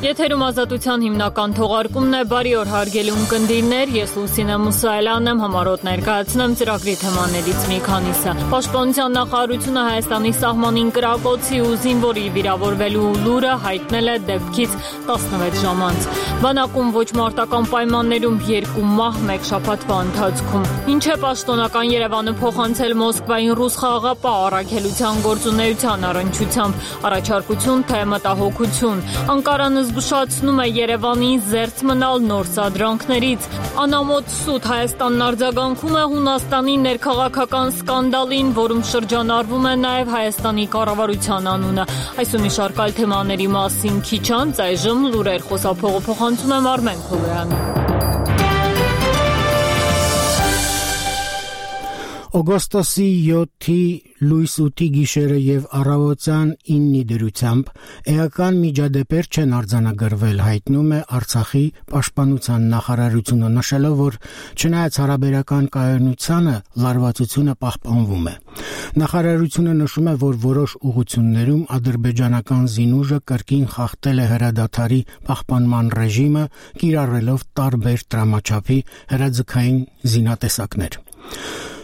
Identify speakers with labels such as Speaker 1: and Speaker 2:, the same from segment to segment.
Speaker 1: Եթերում ազատության հիմնական թողարկումն է, բարի օր հարգելի ունկնդիրներ, ես Լուսինե Մուսայելյանն եմ, համառոտ ներկայացնեմ ծրագրի թեմաներից մի քանիսը։ Պաշտպանության նախարարությունը Հայաստանի սահմանին կրակոցի ու զինվորի վիրավորվելու լուրը հայտնել է դեպքից 16 ժամ անց։ Բանակում ոչ մարտական պայմաններում 2 մահ մեկ շաբաթվա ընթացքում։ Ինչ է պաշտոնական Երևանը փոխանցել Մոսկվային ռուս խաղաղապահ առաքելության գործունեության առնչությամբ, առաջարկություն թե մտահոգություն։ Անկարանը զգուշացնում է Երևանի զերծ մնալ նոր սադրանքներից։ Անամոթ սուտ Հայաստանն արձագանքում է Հունաստանի ներքաղաքական սկանդալին, որում շրջանառվում է նաև Հայաստանի կառավարության անունը։ Այս ու մի շարք այլ թեմաների մասին քիչ անց այժմ լուրեր խոսափողը փոխանցում եմ Արմեն Քոյանը։
Speaker 2: Օգոստոսի 7-ի լույս 8-ի գիշերը եւ առավոտյան 9-ի դրությամբ էական միջադեպեր չեն արձանագրվել, հայտնում է Արցախի պաշտպանության նախարարությունը, նշելով, որ չնայած հարաբերական կայունությանը լարվածությունը պահպանվում է։ Նախարարությունը նշում է, որ որոշ ուղղություններում ադրբեջանական զինուժը կրկին խախտել է հրադադարի պահպանման ռեժիմը, կիրառելով տարբեր տրամաչափի հրաձգային զինատեսակներ։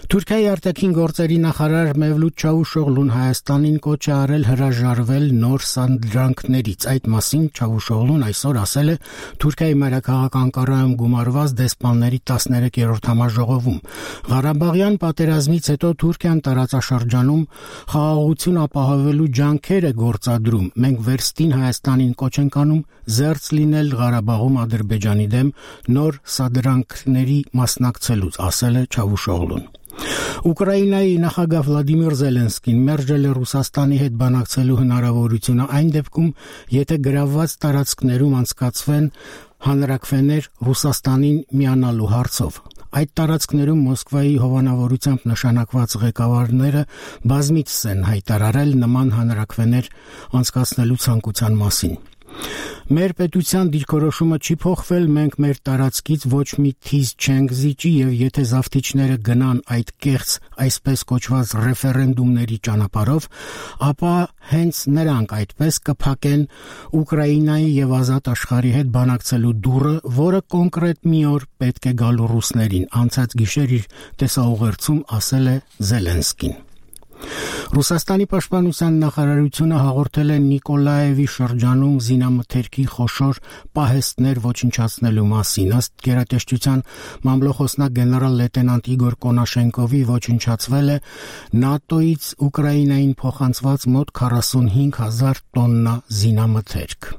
Speaker 2: Թուրքիայի արտաքին գործերի նախարար Մևլութ Չավուշօղլուն Հայաստանին կոչ է արել հրաժարվել նոր սադրանքներից։ Այդ մասին Չավուշօղլուն այսօր ասել է Թուրքիայի մայրաքաղաք Անկարայում գումարված դեսպանների 13-րդ համաժողովում։ Ղարաբաղյան պատերազմից հետո Թուրքիան տարածաշրջանում խաղաղություն ապահովելու ջանքեր է գործադրում։ Մենք վերստին Հայաստանին կոչ ենք անում զերծ լինել Ղարաբաղում Ադրբեջանի դեմ նոր սադրանքների մասնակցելուց, ասել է Չավուշօղլուն։ Ուկրաինայի նախագահ Վլադիմիր Զելենսկին մերժել է Ռուսաստանի հետ բանակցելու հնարավորությունը այն դեպքում, եթե գրավված տարածքներում անցկացվեն հանրաքվեներ Ռուսաստանին միանալու հարցով։ Այդ տարածքներում Մոսկվայի հովանավորությամբ նշանակված ղեկավարները բազմիցս են հայտարարել նման հանրաքվեներ անցկացնելու ցանկության մասին։ Մեր պետության դիրքորոշումը չի փոխվել, մենք մեր տարածքից ոչ մի թիզ չենք զիջի եւ եթե զավթիչները գնան այդ կեղծ այսպես կոչված ռեֆերենդումների ճանապարհով, ապա հենց նրանք այդպես կփակեն Ուկրաինայի եւ ազատ աշխարհի հետ բանակցելու դուռը, որը կոնկրետ մի օր պետք է գալու ռուսներին, անցած գիշեր իր տեսաուղերձում ասել է Զելենսկին։ Ռուսաստանի պաշտպանության նախարարությունը հաղորդել է Նիկոլաևի շրջանում զինամթերքի խոշոր պահեստներ ոչնչացնելու մասին։ Ըստ գերատեսչության մամլոխոսնակ գեներալ լեյտենանտ Իգոր Կոնաշենկովի ոչնչացվել է ՆԱՏՕ-ից Ուկրաինային փոխանցված մոտ 45,000 տոննա զինամթերք։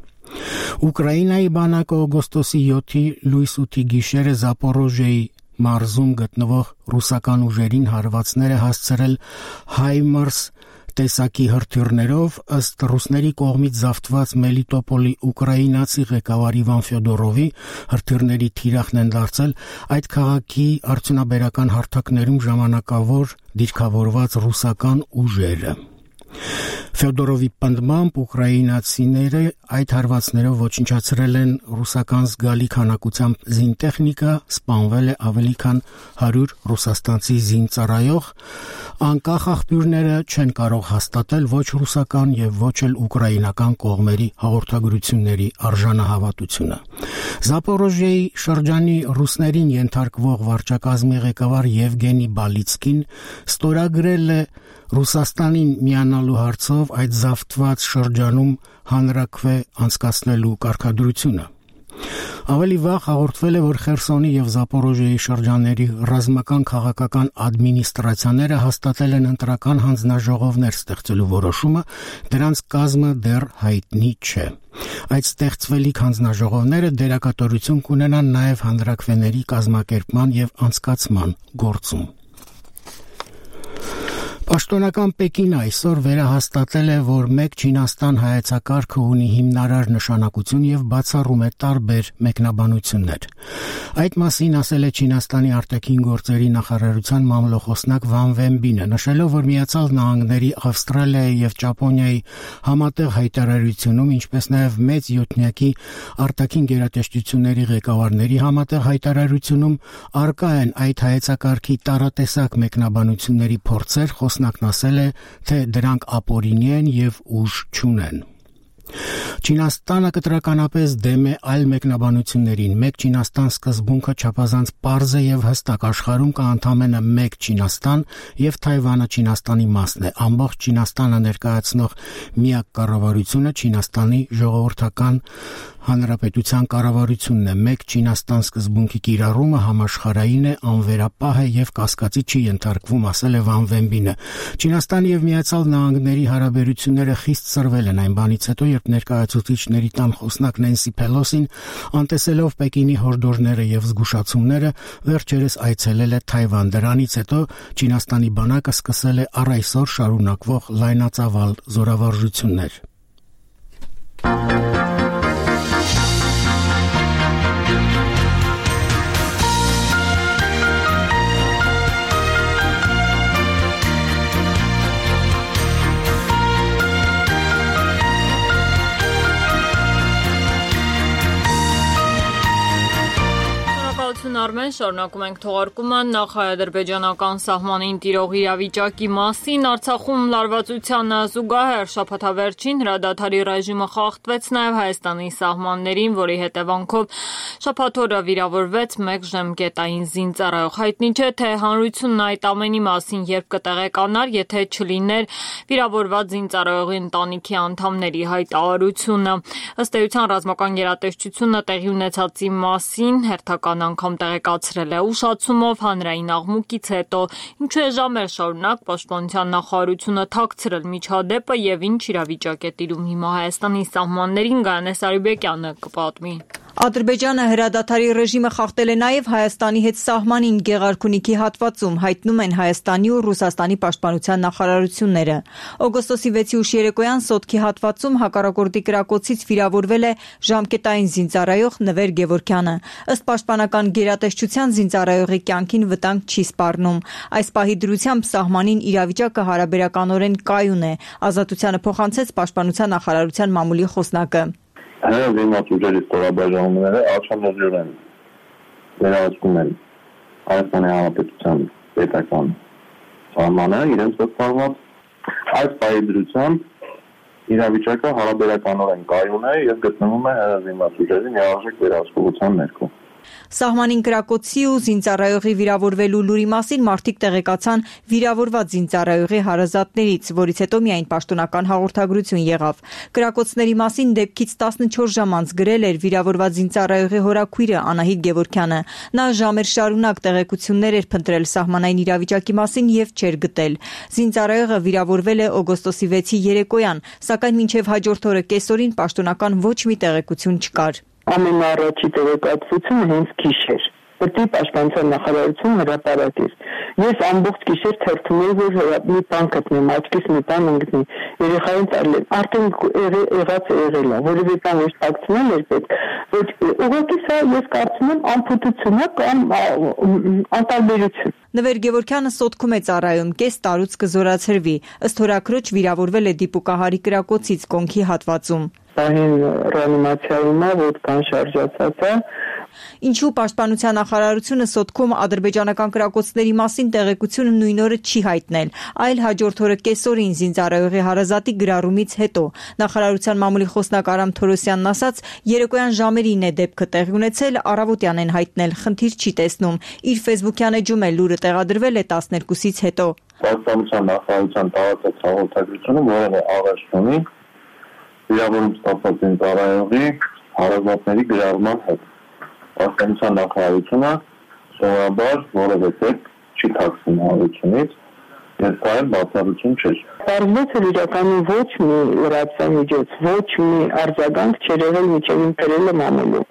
Speaker 2: Ուկրաինայի բանակը օգոստոսի 7-ի լույս 8-ի գիշերը Զապորոժիեի մարզում գտնվող ռուսական ուժերին հարվածներ է հասցրել HIMARS տեսակի հրթիռներով, ըստ ռուսների կողմից զավթված Մելիտոպոլի ուկրաինացի ղեկավար Իվան Ֆյոդորովի հրթիռների թիրախն են դարձել այդ քաղաքի արդյունաբերական հարթակներում ժամանակավոր դիրքավորված ռուսական ուժերը։ Ֆյոդորովի պնդմամբ ուկրաինացիները այդ հարվածներով ոչնչացրել են ռուսական զգալի քանակությամբ զինտեխնիկա, սպանվել է ավելի քան 100 ռուսաստանցի զինծառայող, անկախ աղբյուրները չեն կարող հաստատել ոչ ռուսական եւ ոչ էլ ուկրաինական կողմերի հաղորդագրությունների արժանահավատությունը։ Զապորոժիեի շրջանի ռուսներին ենթարկվող վարչակազմի ղեկավար Եվգենի Բալիցկին ստորագրել է Ռուսաստանին միանալու հարցով այդ զավթված շրջանում հանրաքվե անցկացնելու կարգադրությունը։ Ավելի վաղ հաղորդվել է, որ Խերսոնի եւ Զապորոժիեի շրջանների ռազմական քաղաքական ադմինիստրացիաները հաստատել են ընտրական հանձնաժողովներ ստեղծելու որոշումը, դրանց կազմը դեռ հայտնի չէ։ Այդ ստեղծվելիք հանձնաժողովները դերակատարություն կունենան նաեւ հանրաքվեների կազմակերպման եւ անցկացման գործում։ Պաշտոնական Պեկինը այսօր վերահաստատել է, որ մեկ Չինաստան հայեցակարգը ունի հիմնարար նշանակություն եւ բացառում է տարբեր մեկնաբանություններ։ Այդ մասին ասել է Չինաստանի արտաքին գործերի նախարարության մամլոխոսնակ Վան Վենբինը, նշելով, որ Միացյալ Նահանգների, Ավստրալիայի եւ Ճապոնիայի համատեղ հայտարարությունում, ինչպես նաեւ մեծ յոթնյակի արտաքին գերատեսչությունների ղեկավարների համատեղ հայտարարությունում արկա են այդ հայեցակարգի տարատեսակ մեկնաբանությունների փորձեր, խոսնակն ասել է, թե դրանք ապօրինի են եւ ուժ չունեն։ Չինաստանը կտրականապես դեմ է այլ մեկնաբանություններին։ Մեկ Չինաստան սկզբունքը չափազանց պարզ է եւ հստակ, աշխարհում կա ընդամենը մեկ Չինաստան եւ Թայվանը Չինաստանի մասն է։ Ամբողջ Չինաստանը ներկայացնող միակ կառավարությունը Չինաստանի ժողովրդական հանրապետության կառավարությունն է։ Մեկ Չինաստան սկզբունքի կիրառումը համաշխարհային է, անվերապահ է եւ կասկածի չի ենթարկվում, ասել է Վան Վենբինը։ Չինաստանի եւ Միացյալ Նահանգների հարաբերությունները խիստ սրվել են այն բանից հետո, երբ ներկայացուցիչների տան խոսնակ Նենսի Փելոսին, անտեսելով Պեկինի հորդորները եւ զգուշացումները, վերջերս այցելել է Թայվան։ Դրանից հետո Չինաստանի բանակը սկսել է առ այսօր շարունակվող լայնածավալ զորավարժություններ։
Speaker 1: Արմեն, շարունակում ենք թողարկումը նախ-ադրբեջանական սահմանին տիրող իրավիճակի մասին։ Արցախում լարվածությանը զուգահեռ շաբաթավերջին հրադադարի ռեժիմը խախտվեց նաև Հայաստանի սահմաններին, որի հետևանքով շաբաթ օրը վիրավորվեց մեկ ժամկետային զինծառայող։ Հայտնի չէ, թե հանրությունն այդ ամենի մասին երբ կտեղեկանար, եթե չլիներ վիրավորված զինծառայողի ընտանիքի անդամների հայտարարությունը։ Ըստ էության ռազմական գերատեսչությունը տեղի ունեցածի մասին հերթական անգամ տեղեկացրել է ուշացումով հանրային աղմուկից հետո, ինչու է ժամեր շարունակ պաշտպանության նախարարությունը թաքցրել միջադեպը եւ ինչ իրավիճակ է տիրում հիմա Հայաստանի սահմաններին, Գայանե Սարիբեկյանը կպատմի։
Speaker 3: Ադրբեջանը հրադադարի ռեժիմը խախտել է նաև Հայաստանի հետ սահմանին Գեղարքունիքի հատվածում, հայտնում են Հայաստանի ու Ռուսաստանի պաշտպանության նախարարությունները։ Օգոստոսի 6-ի ուշ երեկոյան Սոտքի հատվածում հակառակորդի կրակոցից վիրավորվել է ժամկետային զինծառայող Նվեր Գևորգյանը։ Ըստ պաշտպանական գերատեսչության զինծառայողի կյանքին վտանգ չի սպառնում։ Այս պահի դրությամբ սահմանին իրավիճակը հարաբերականորեն կայուն է, Ազատությանը փոխանցեց պաշտպանության նախարարության մամուլի խոսնակը։
Speaker 4: Զինված ուժերի ստորաբաժանումները աջակցություն են վերահսկում են Հայաստանի Հանրապետության պետական սահմանը իրենց վստահված այս պահի դրությամբ իրավիճակը հարաբերականորեն կայուն է եւ գտնվում է զինված ուժերի միարժեք վերահսկողության ներքո։
Speaker 3: Սահմանին կրակոցի ու զինծառայողի վիրավորվելու լուրի մասին մարդիկ տեղեկացան վիրավորված զինծառայողի հարազատներից, որից հետո միայն պաշտոնական հաղորդագրություն եղավ։ Կրակոցների մասին դեպքից 14 ժամ անց գրել էր վիրավորված զինծառայողի հորաքույրը Անահիտ Գևորգյանը։ Նա ժամեր շարունակ տեղեկություններ էր փնտրել սահմանային իրավիճակի մասին եւ չէր գտել։ Զինծառայողը վիրավորվել է օգոստոսի 6-ի երեկոյան, սակայն մինչեւ հաջորդ օրը կեսօրին պաշտոնական ոչ մի տեղեկություն չկար։
Speaker 5: Ամենառաջի տեղեկատվությունը հենց գիշեր։ Պետք է պաշտպանության նախարարությունը հրապարակեր։ Ես ամբողջ գիշեր թերթում էի, որ մի բան գտնեմ, աչքիս մի բան ընկնի։ Երեխային տալի, արդեն եղած եղել է, որևէ բան ոչ տակցնել էր պետք։ Ոչ ուղղակի սա ես կարծում եմ անփութություն է կամ անտարբերություն։
Speaker 3: Նվեր Գևորգյանը Սոտքում է ծառայում, կես տարուց կզորացրվի։ Ըստ հորաքրոջ վիրավորվել է դիպուկահարի կրակոցից կոնքի հատվածում։
Speaker 5: Պահին ռեանիմացիայում է, ոտքան շարժացած է։
Speaker 3: Ինչու պաշտպանության նախարարությունը Սոտքում ադրբեջանական կրակոցների մասին տեղեկությունը նույն օրը չի հայտնել, այլ հաջորդ օրը կեսօրին զինծառայողի հարազատի գրառումից հետո։ Նախարարության մամուլի խոսնակ Արամ Թորոսյանն ասաց, երեկոյան ժամերին է դեպքը տեղի ունեցել, առավոտյան են հայտնել, խնդիր չի տեսնում։ Իր ֆեյսբուքյան էջում է լուրը տեղադրվել է 12-ից հետո։
Speaker 4: Պաշտպանության նախարարության տարածած հաղորդագրությունը որևէ աղերս չունի վիրավորում ստացած զինծառայողի հարազատների գրառման հետ։ Պաշտպանության նախարարությունը սովորաբար որևէ դեպք չի թաքցնում հանրությունից եւ դա էլ բացառություն չէ։
Speaker 5: Պարզվեց որ իրականում ոչ մի լրատվամիջոց, ոչ մի արձագանք չէր եղել միջև իմ գրելը մամուլում։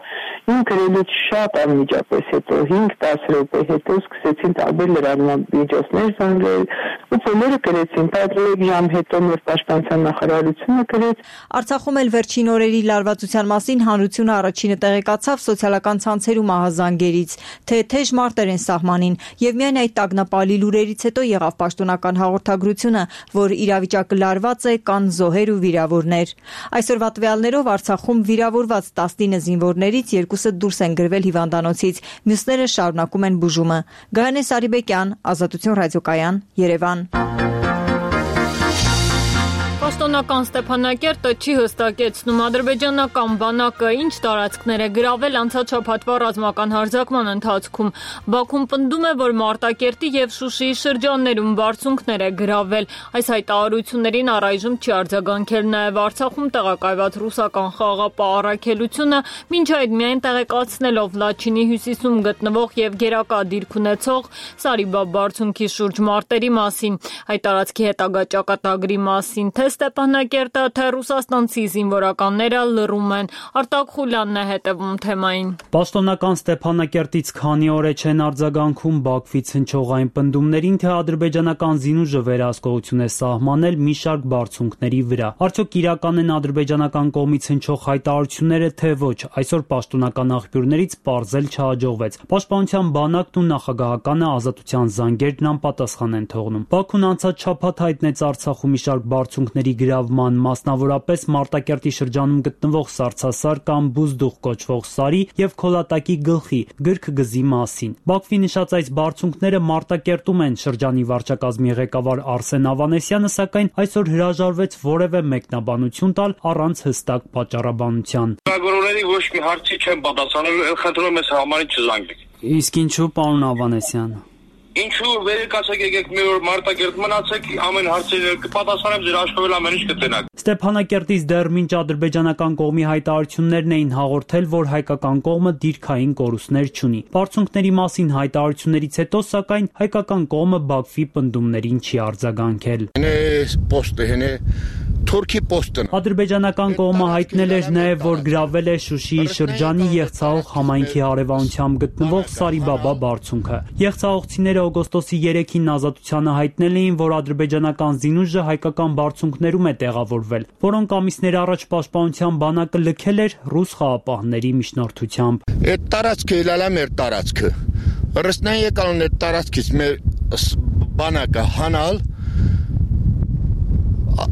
Speaker 5: Իմ գրելուց շատ անմիջապես հետո 5-10 րոպե հետո սկսեցին տարբեր լրատվամիջոցներ զանգել ու բոլորը գրեցին, պատրաստել ժամ հետո մեր պաշտպանության նախարարությունը գրեց։
Speaker 3: Արցախում էլ վերջին օրերի լարվածության մասին հանրությունը առաջինը տեղեկացավ սոցիալական ցանցերում ահազանգերից, թե թեժ մարտեր են սահմանին եւ միայն այդ տագնապալի լուրերից հետո եղավ պաշտոնական հաղորդագրությունը, որ իրավիճակը լարված է, կան զոհեր ու վիրավորներ։ Այսօրվա տվյալներով Արցախում վիրավորված 19 զինվորներից 2-ը դուրս են գրվել հիվանդանոցից, մյուսները շարունակում են բուժումը։ Գայանե Սարիբեկյան, Ազատություն ռադիոկայան, Երևան։
Speaker 1: Պաշտոնական Ստեփանակերտը չի հստակեցնում ադրբեջանական բանակը ինչ տարածքներ է գրավել անցած շաբաթվա ռազմական հարձակման ընթացքում։ Բաքուն պնդում է, որ Մարտակերտի եւ Շուշիի շրջաններում բարձունքներ է գրավել։ Այս հայտարարություններին առայժմ չի արձագանքել նաեւ Արցախում տեղակայված ռուսական խաղաղապահ առաքելությունը, մինչ այդ միայն տեղեկացնելով Լաչինի հյուսիսում գտնվող եւ գերակա դիրք ունեցող Սարիբա բարձունքի շուրջ մարտերի մասին։ Այդ տարածքի հետագա ճակատագրի մասին թե Ստեփանակերտը, թե ռուսաստանցի զինվորականները լռում են։ Արտակ Խուլյանն է հետևում թեմային։
Speaker 6: Պաշտոնական Ստեփանակերտից քանի օր է չեն արձագանքում Բաքվից հնչողային պնդումներին, թե ադրբեջանական զինուժը վերահսկողություն է սահմանել մի շարք բարձունքների վրա։ Արդյոք իրական են ադրբեջանական կողմից հնչող հայտարարությունները, թե ոչ, այսօր պաշտոնական աղբյուրներից պարզել չհաջողվեց։ Պաշտպանության բանակն ու նախագահականը ազատության զանգերն անպատասխան են թողնում։ Բաքուն անցած շաբաթ հայտնեց Արցախում մի շարք բարձունքների գրավման, մասնավորապես Մարտակերտի շրջանում գտնվող Սարցասար կամ Բուզդուղ կոչվող սարի եւ Քոլատակի գլխի գրք-գզի մասին։ Բաքվի նշած այս բարձունքները Մարտակերտում են։ Շրջանի վարչակազմի ղեկավար Արսեն Ավանեսյանը սակայն այսօր հրաժարվեց որևէ մեկնաբանություն տալ առանց հստակ պատճառաբանության։
Speaker 7: Լրագրողների ոչ մի հարցի չեն պատասխանել, խնդրում եմ համարի չզանգեք։
Speaker 6: Իսկ ինչու, պարոն Ավանեսյան։
Speaker 7: Ինչու վերեկացեք եկեք մի օր Մարտակերտ մնացեք, ամեն հարցերը կպատասխանեմ, ձեր աշխատել ամեն ինչ կտենաք։
Speaker 6: Ստեփանակերտից դեռ մինչ ադրբեջանական կողմի հայտարարություններն էին հաղորդել, որ հայկական կողմը դիրքային կորուստներ չունի։ Բարձունքների մասին հայտարարություններից հետո, սակայն հայկական կողմը Բաքվի պնդումներին չի արձագանքել։
Speaker 8: Թուրքի պոստն
Speaker 6: Ադրբեջանական կողմը հայտնել էր նաև, որ գրավել է Շուշիի շրջանի Եղցահող համայնքի հարևանությամբ գտնվող Սարիբաբա բարձունքը։ Եղցահողցիները օգոստոսի 3-ին ազատությանը հայտնել էին, որ ադրբեջանական զինուժը հայկական բարձունքներում է տեղավորվել, որոնք ամիսներ առաջ պաշտպանության բանակը լքել էր ռուս խաղապահների միջնորդությամբ։
Speaker 8: Այդ տարածքը իլալա մեր տարածքը։ Ռուսնան եկան այդ տարածքից մեր բանակը հանալ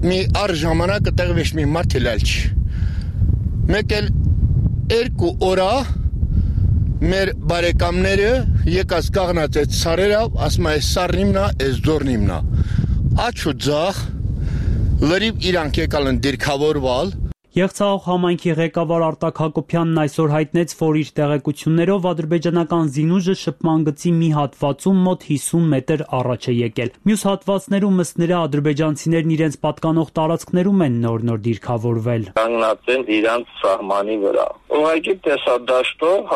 Speaker 8: մի առ ժամանակը տեղվեց մի մարդ հելալ չի։ Մեկ էլ երկու օրա մեր բարեկամները եկած կաղնած այդ սարերով, ասում այս սարն իմնա, այս ձորն իմնա։ Աչու ձախ լրիվ իրանք եկալ են դիրքավորվալ։
Speaker 6: Եղցահող համայնքի ղեկավար Արտակ Հակոբյանն այսօր հայտնեց, որ իր տեղեկություններով ադրբեջանական զինուժը շփման գծի մի հատվածում մոտ 50 մետր առաջ է եկել։ Մյուս հատվածներում ըստ նրա ադրբեջանցիներն իրենց պատկանող տարածքներում են նոր դիրքավորվել։
Speaker 7: Կանգնած են իրանց սահմանի վրա։ Ուղղակի տեսադաշտով,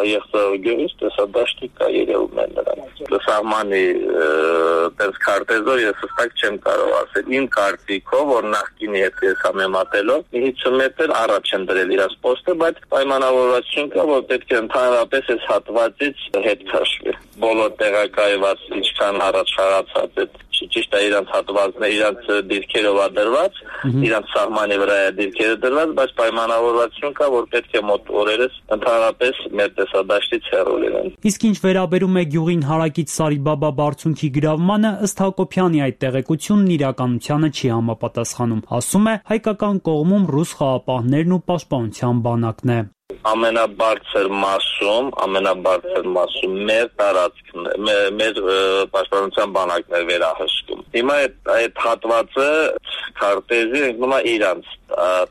Speaker 7: Եղցահող գյուղից տեսադաշտի կա երևում են նրանց։ Սահմանի տես քարտեզով ես հստակ չեմ կարող ասել։ Իմ կարծիքով, որ նախկինի հետ ես համեմատելով 50 մետր առաջ են դրել իրաց պոստը, բայց պայմանավորվածություն կա, որ պետք է ընդհանրապես այս հատվածից հետ քաշվի։ Բոլոր տեղակայված ինչքան առաջ խաղացած այդ ճիշտ է իրանց հատվածները, իրանց դիրքերով է դրված, իրանց սահմանի վրա է դիրքերը դրված, բայց պայմանավորվածություն կա, որ պետք է մոտ օրերս ընդհանրապես մեր տեսադաշտից հեռու լինեն։
Speaker 6: Իսկ ինչ վերաբերում է գյուղին հարակից Սարիբաբա բարձունքի գրավմանը, ըստ Հակոբյանի այդ տեղեկությունն իրականությանը չի համապատասխանում։ Ասում է, հայկական կողմում ռուս խաղապահներն ու պաշտպանության բանակն է։
Speaker 7: Ամենաբարձր մասում մեր տարածքն մեր պաշտպանության բանակն է վերահսկում։ Հիմա այդ հատվածը քարտեզի ընկնում է իրանց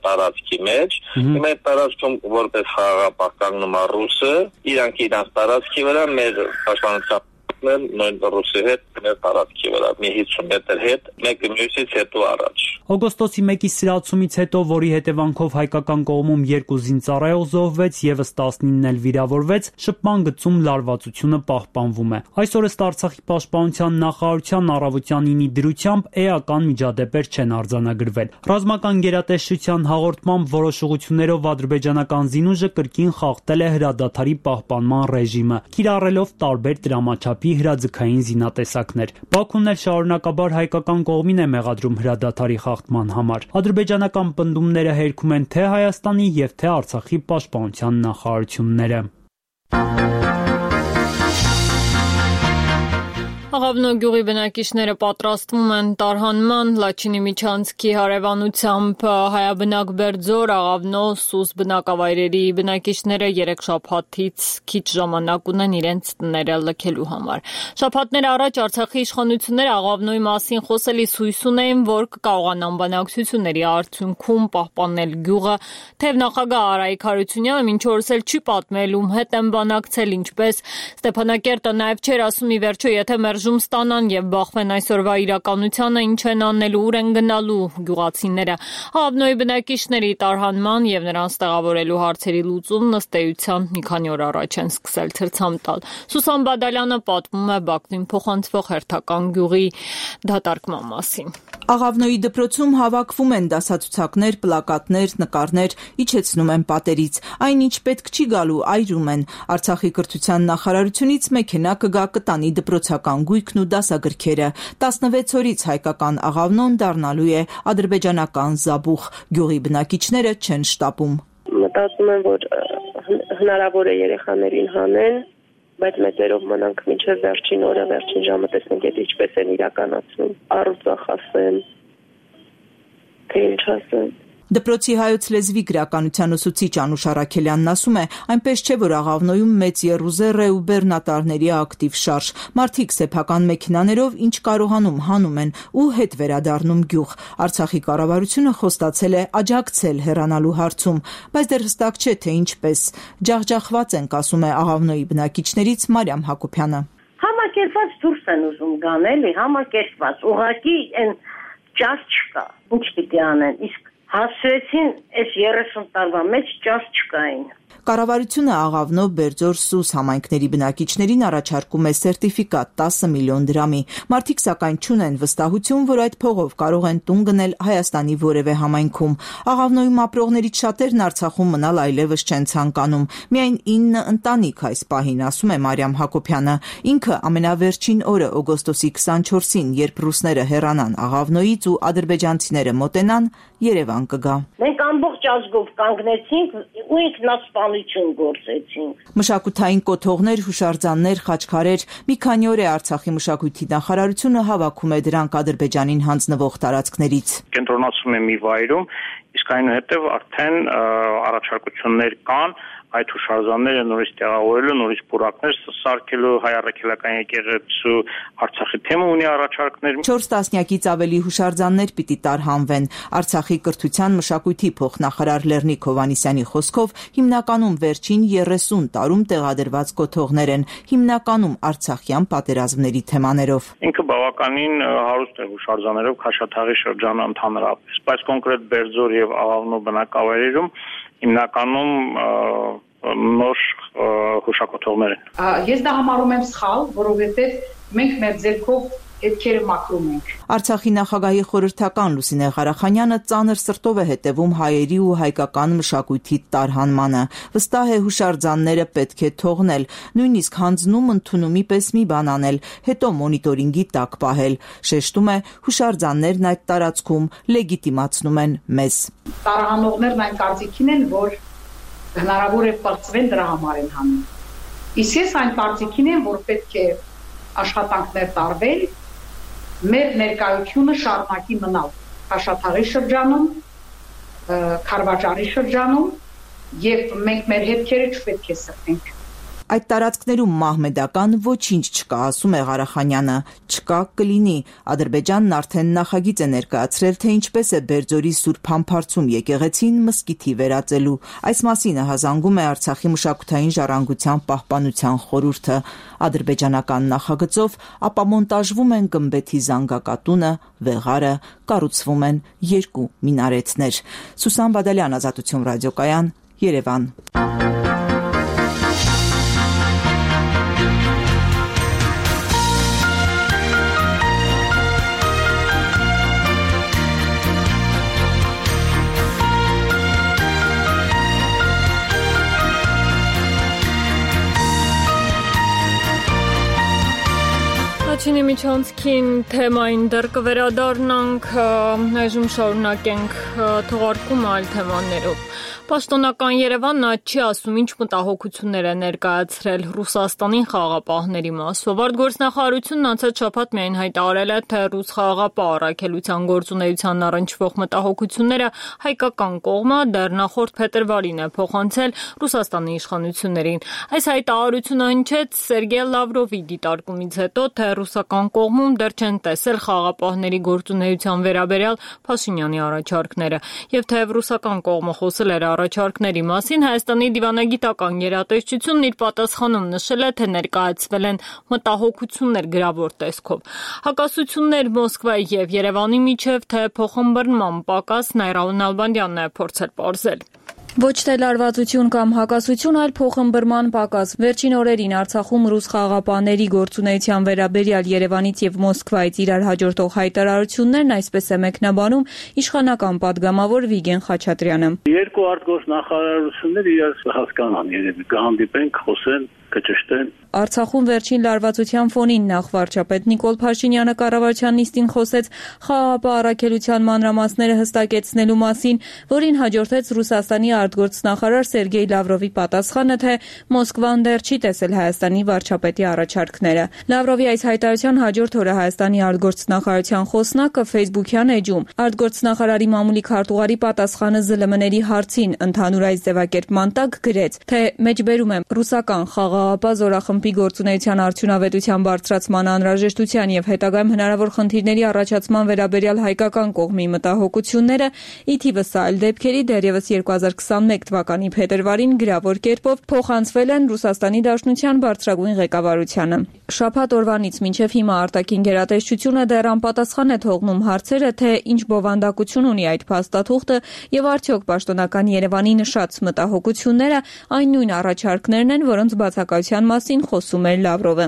Speaker 7: տարածքի մեջ։ Հիմա այդ տարածքում որպես խաղաղապահ կանգնում է ռուսը, իրանք իրանց տարածքի վրա մեր պաշտպանության նույն ռուսի հետ մեր տարածքի վրա մի 50 մետր հետ, մեկը մյուսից հետո առաջ։
Speaker 6: Օգոստոսի 1-ի սրացումից հետո, որի հետևանքով հայկական կողմում 2 զինծառայող զոհվեց, եւս 19-ն էլ վիրավորվեց, շփման գծում լարվածությունը պահպանվում է։ Այսօր ըստ Արցախի պաշտպանության նախարարության առավոտյան 9-ի դրությամբ էական միջադեպեր չեն արձանագրվել։ Ռազմական գերատեսչության հաղորդմամբ որոշ ուղղություններով ադրբեջանական զինուժը կրկին խախտել է հրադադարի պահպանման ռեժիմը, կիրառելով տարբեր դրամաչափի հրաձգային զինատեսակներ։ Բաքուն էլ շարունակաբար հայկական կողմին է մեղադրում հրադադարի խախտման համար։ Ադրբեջանական պնդումները հերքում են թե Հայաստանի եւ թե Արցախի պաշտպանության նախարարությունները։
Speaker 1: Աղավնո գյուղի բնակիչները պատրաստվում են տարհանման Լաչինի միջանցքի հարևանությամբ հայաբնակ Բերձոր, Աղավնո, Սուս բնակավայրերի բնակիչները 3 շաբաթից քիչ ժամանակ ունեն իրենց տները լքելու համար։ Շաբաթներ առաջ Արցախի իշխանությունները Աղավնոյի մասին խոսելիս հույս ունեին, որ կկարողանան բանակցությունների արդյունքում պահպանել գյուղը, թեև նախագահ Արայիկ Հարությունյանը մինչ օրս էլ չի պատմել ում հետ են բանակցել, ինչպես Ստեփանակերտը նաև չէր ասում ի վերջո, եթե մերժում ստանան եւ բախվեն այսօրվա իրականությանը, ինչ են անելու, ուր են գնալու գյուղացիները։ Աղավնոյի բնակիչների տարհանման եւ նրանց տեղավորելու հարցերի լուծումն ըստ էության մի քանի օր առաջ են սկսել ցրցամ տալ։ Սուսան Բադալյանը պատմում է Բաքվին փոխանցվող հերթական գյուղի դատարկման մասին։
Speaker 9: Աղավնոյի դպրոցում հավաքվում են դասացուցակներ, պլակատներ, նկարներ, իջեցնում են պատերից։ Այնինչ պետք չի գալու այրում են։ Արցախի կրթության նախարարությունից մեքենա կգա կտանի դպրոցական գույքն ու դասագրքերը։ 16 օրից հայկական Աղավնոն դառնալու է ադրբեջանական Զաբուխ։ Գյուղի բնակիչները չեն շտապում։
Speaker 5: Մտածում եմ, որ հնարավոր է երեխաներին հանեն, բայց մեծերով մնանք մինչև վերջին օրը, վերջին ժամը տեսնենք, եթե ինչպես են իրականացնում, առուծախ ասեն, թե ինչ ասեն։
Speaker 9: Դպրոցի հայոց լեզվի գրականության ուսուցիչ Անուշ Առաքելյանն ասում է, այնպես չէ, որ Աղավնոյում մեծ եռուզեռ է ու բեռնատարների ակտիվ շարժ։ Մարդիկ սեփական մեքենաներով ինչ կարողանում հանում են ու հետ վերադառնում գյուղ։ Արցախի կառավարությունը խոստացել է աջակցել հեռանալու հարցում, բայց դեռ հստակ չէ, թե ինչպես։ Ջախջախված ենք, ասում է Աղավնոյի բնակիչներից Մարիամ Հակոբյանը։
Speaker 10: Համակերպված դուրս են ուզում գան, էլի, համակերպված, ուղղակի այն ճաշ չկա, ինչ պիտի անեն, իսկ հասցրեցին այս 30 տարվա մեջ ճաշ չկային։
Speaker 9: Կառավարությունը Աղավնո, Բերձոր, Սուս համայնքների բնակիչներին առաջարկում է սերտիֆիկատ 10 միլիոն դրամի։ Մարդիկ սակայն չունեն վստահություն, որ այդ փողով կարող են տուն գնել Հայաստանի որևէ համայնքում։ Աղավնոյում ապրողներից շատերն Արցախում մնալ այլևս չեն ցանկանում։ Միայն 9 ընտանիք այս պահին, ասում է Մարիամ Հակոբյանը։ Ինքը ամենավերջին օրը օգոստոսի 24-ին, երբ ռուսները հեռանան Աղավնոյից ու ադրբեջանցիները մոտենան, Երևան կգա։
Speaker 10: Մենք ամբողջ ազգով կանգնեցինք ու ինքնասպանություն գործեցինք։
Speaker 9: Մշակութային կոթողներ, հուշարձաններ, խաչքարեր, մի քանի օր է Արցախի մշակույթի նախարարությունը հավաքում է դրանք Ադրբեջանին հանձնվող տարածքներից։
Speaker 7: Կենտրոնացում է մի վայրում, իսկ այնուհետև արդեն առաջարկություններ կան այդ հուշարձանները նորից տեղավորելու, նորից պուրակներ սարքելու, հայ առաքելական եկեղեցու Արցախի թեմը ունի առաջարկներ։
Speaker 9: 4 տասնյակից ավելի հուշարձաններ պիտի տարհանվեն։ Արցախի կրթության մշակույթի փոխնախարար Լեռնիկ Հովհաննիսյանի խոսքով հիմնականում վերջին 30 տարում տեղադրված կոթողներ են, հիմնականում արցախյան պատերազմների թեմաներով։
Speaker 7: Ինքը բավականին հարուստ է հուշարձաններով Քաշաթաղի շրջանը ընդհանրապես, բայց կոնկրետ Բերձոր եւ Աղավնո բնակավայրերում հիմնականում նոր հուշակոթողներ են։
Speaker 11: Ես դա համարում եմ սխալ, որովհետև մենք մեր ձեռքով հետքերը մաքրում ենք։
Speaker 9: Արցախի նախագահի խորհրդական Լուսինե Ղարախանյանը ծանր սրտով է հետևում հայերի ու հայկական մշակույթի տարհանմանը։ Վստահ է հուշարձանները պետք է թողնել, նույնիսկ հանձնում ընդունումի պես մի բան անել, հետո մոնիտորինգի տակ պահել։ Շեշտում է, հուշարձաններն այդ տարածքում լեգիտիմացնում են մեզ։
Speaker 11: Տարհանողներն այն կարծիքին են, որ հնարավոր է պրծվեն դրա համար են հանում։ Իսկ ես այն կարծիքին եմ, որ պետք է աշխատանքներ տարվել, մեր ներկայությունը շարունակի մնալ Քաշաթաղի շրջանում, Քարվաճարի շրջանում եւ մենք մեր հետքերը չպետք է սրտենք։
Speaker 9: Այդ տարածքներում մահմեդական ոչինչ չկա, ասում է Ղարախանյանը, չկա կլինի։ Ադրբեջանն արդեն նախագիծ է ներկայացրել, թե ինչպես է Բերձորի Սուրբ Համբարձում եկեղեցին մզկիթի վերածելու։ Այս մասին հազանգում է Արցախի մշակութային ժառանգության պահպանության խորհուրդը։ Ադրբեջանական նախագծով ապամոնտաժվում են գմբեթի զանգակատունը, վեղարը, կառուցվում են 2 մինարետներ։ Սուսան Բադալյան, Ազատություն ռադիոկայան, Երևան։
Speaker 1: Լաչինի միջանցքին թեմային դեռ կվերադառնանք, այժմ շարունակենք թողարկումը այլ թեմաներով։ Պաշտոնական Երևանն չի ասում ինչ մտահոգություններ է ներկայացրել Ռուսաստանի խաղաղապահների մասով։ Արտգործնախարարությունն անցած շաբաթ միայն հայտարարել է, թե ռուս խաղաղապահ առաքելության գործունեությանն առնչվող մտահոգությունները հայկական կողմը դեռ նախորդ փետրվարին է փոխանցել Ռուսաստանի իշխանություններին։ Այս հայտարարությունը հնչեց Սերգեյ Լավրովի դիտարկումից հետո, թե ռուսական կողմում դեռ չեն տեսել խաղաղապահների գործունեության վերաբերյալ Փաշինյանի առաջարկները, եւ թեև ռուսական կողմը խոսել էր առաջարկների մասին, Հայաստանի դիվանագիտական գերատեսչությունն իր պատասխանում նշել է, թե ներկայացվել են մտահոգություններ գրավոր տեսքով։ Հակասություններ Մոսկվայի եւ Երևանի միջև, թե փոխըմբռնման պակաս Նայրան Նալբանդյանն է փորձել պարզել։
Speaker 12: Ոչ թե լարվածություն կամ հակասություն, այլ փոխըմբռնման պակաս։ Վերջին օրերին Արցախում ռուս խաղաղապահների գործունեության վերաբերյալ Երևանից եւ Մոսկվայից իրար հաջորդող հայտարարություններն այսպես է մեկնաբանում իշխանական падգամավոր Վիգեն Խաչատրյանը։
Speaker 13: Երկու արտգործնախարարություններ իրար հասկանան, երևի կհանդիպեն, խոսեն, կճշտեն։
Speaker 12: Արցախում վերջին լարվածության ֆոնին նախ վարչապետ Նիկոլ Փաշինյանը կառավարության նիստին խոսեց խաղաղապահ առաքելության մանրամասները հստակեցնելու մասին, որին հաջորդեց Ռուսաստանի արտգործնախարար Սերգեյ Լավրովի պատասխանը, թե Մոսկվան դեռ չի տեսել Հայաստանի վարչապետի առաջարկները։ Լավրովի այս հայտարարության հաջորդ օրը Հայաստանի արտգործնախարարության խոսնակը Facebook-յան էջում արտգործնախարարի մամուլի քարտուղարի պատասխանը ԶԼՄ-ների հարցին ընդհանուր այս ձևակերպման տակ գրեց, թե մեջբերում եմ ռուսական խաղաղապահ զորախմբի գործունեության արդյունավետության բարձրացման անհրաժեշտության եւ հետագայում հնարավոր խնդիրների առաջացման վերաբերյալ հայկական կողմի մտահոգությունները, ի թիվս այլ դեպքերի դեռևս 2021 թվականի փետրվարին գրավոր կերպով փոխանցվել են Ռուսաստանի Դաշնության բարձրագույն ղեկավարությանը։ Շաբաթ օրվանից մինչև հիմա արտաքին գերատեսչությունը դեռ անպատասխան է թողնում հարցերը, թե ինչ բովանդակություն ունի այդ փաստաթուղթը եւ արդյոք պաշտոնական Երևանի նշած մտահոգությունները այն նույն առաջարկներն են, որոնց բացակայության մասին խոսում էր Լավրովը։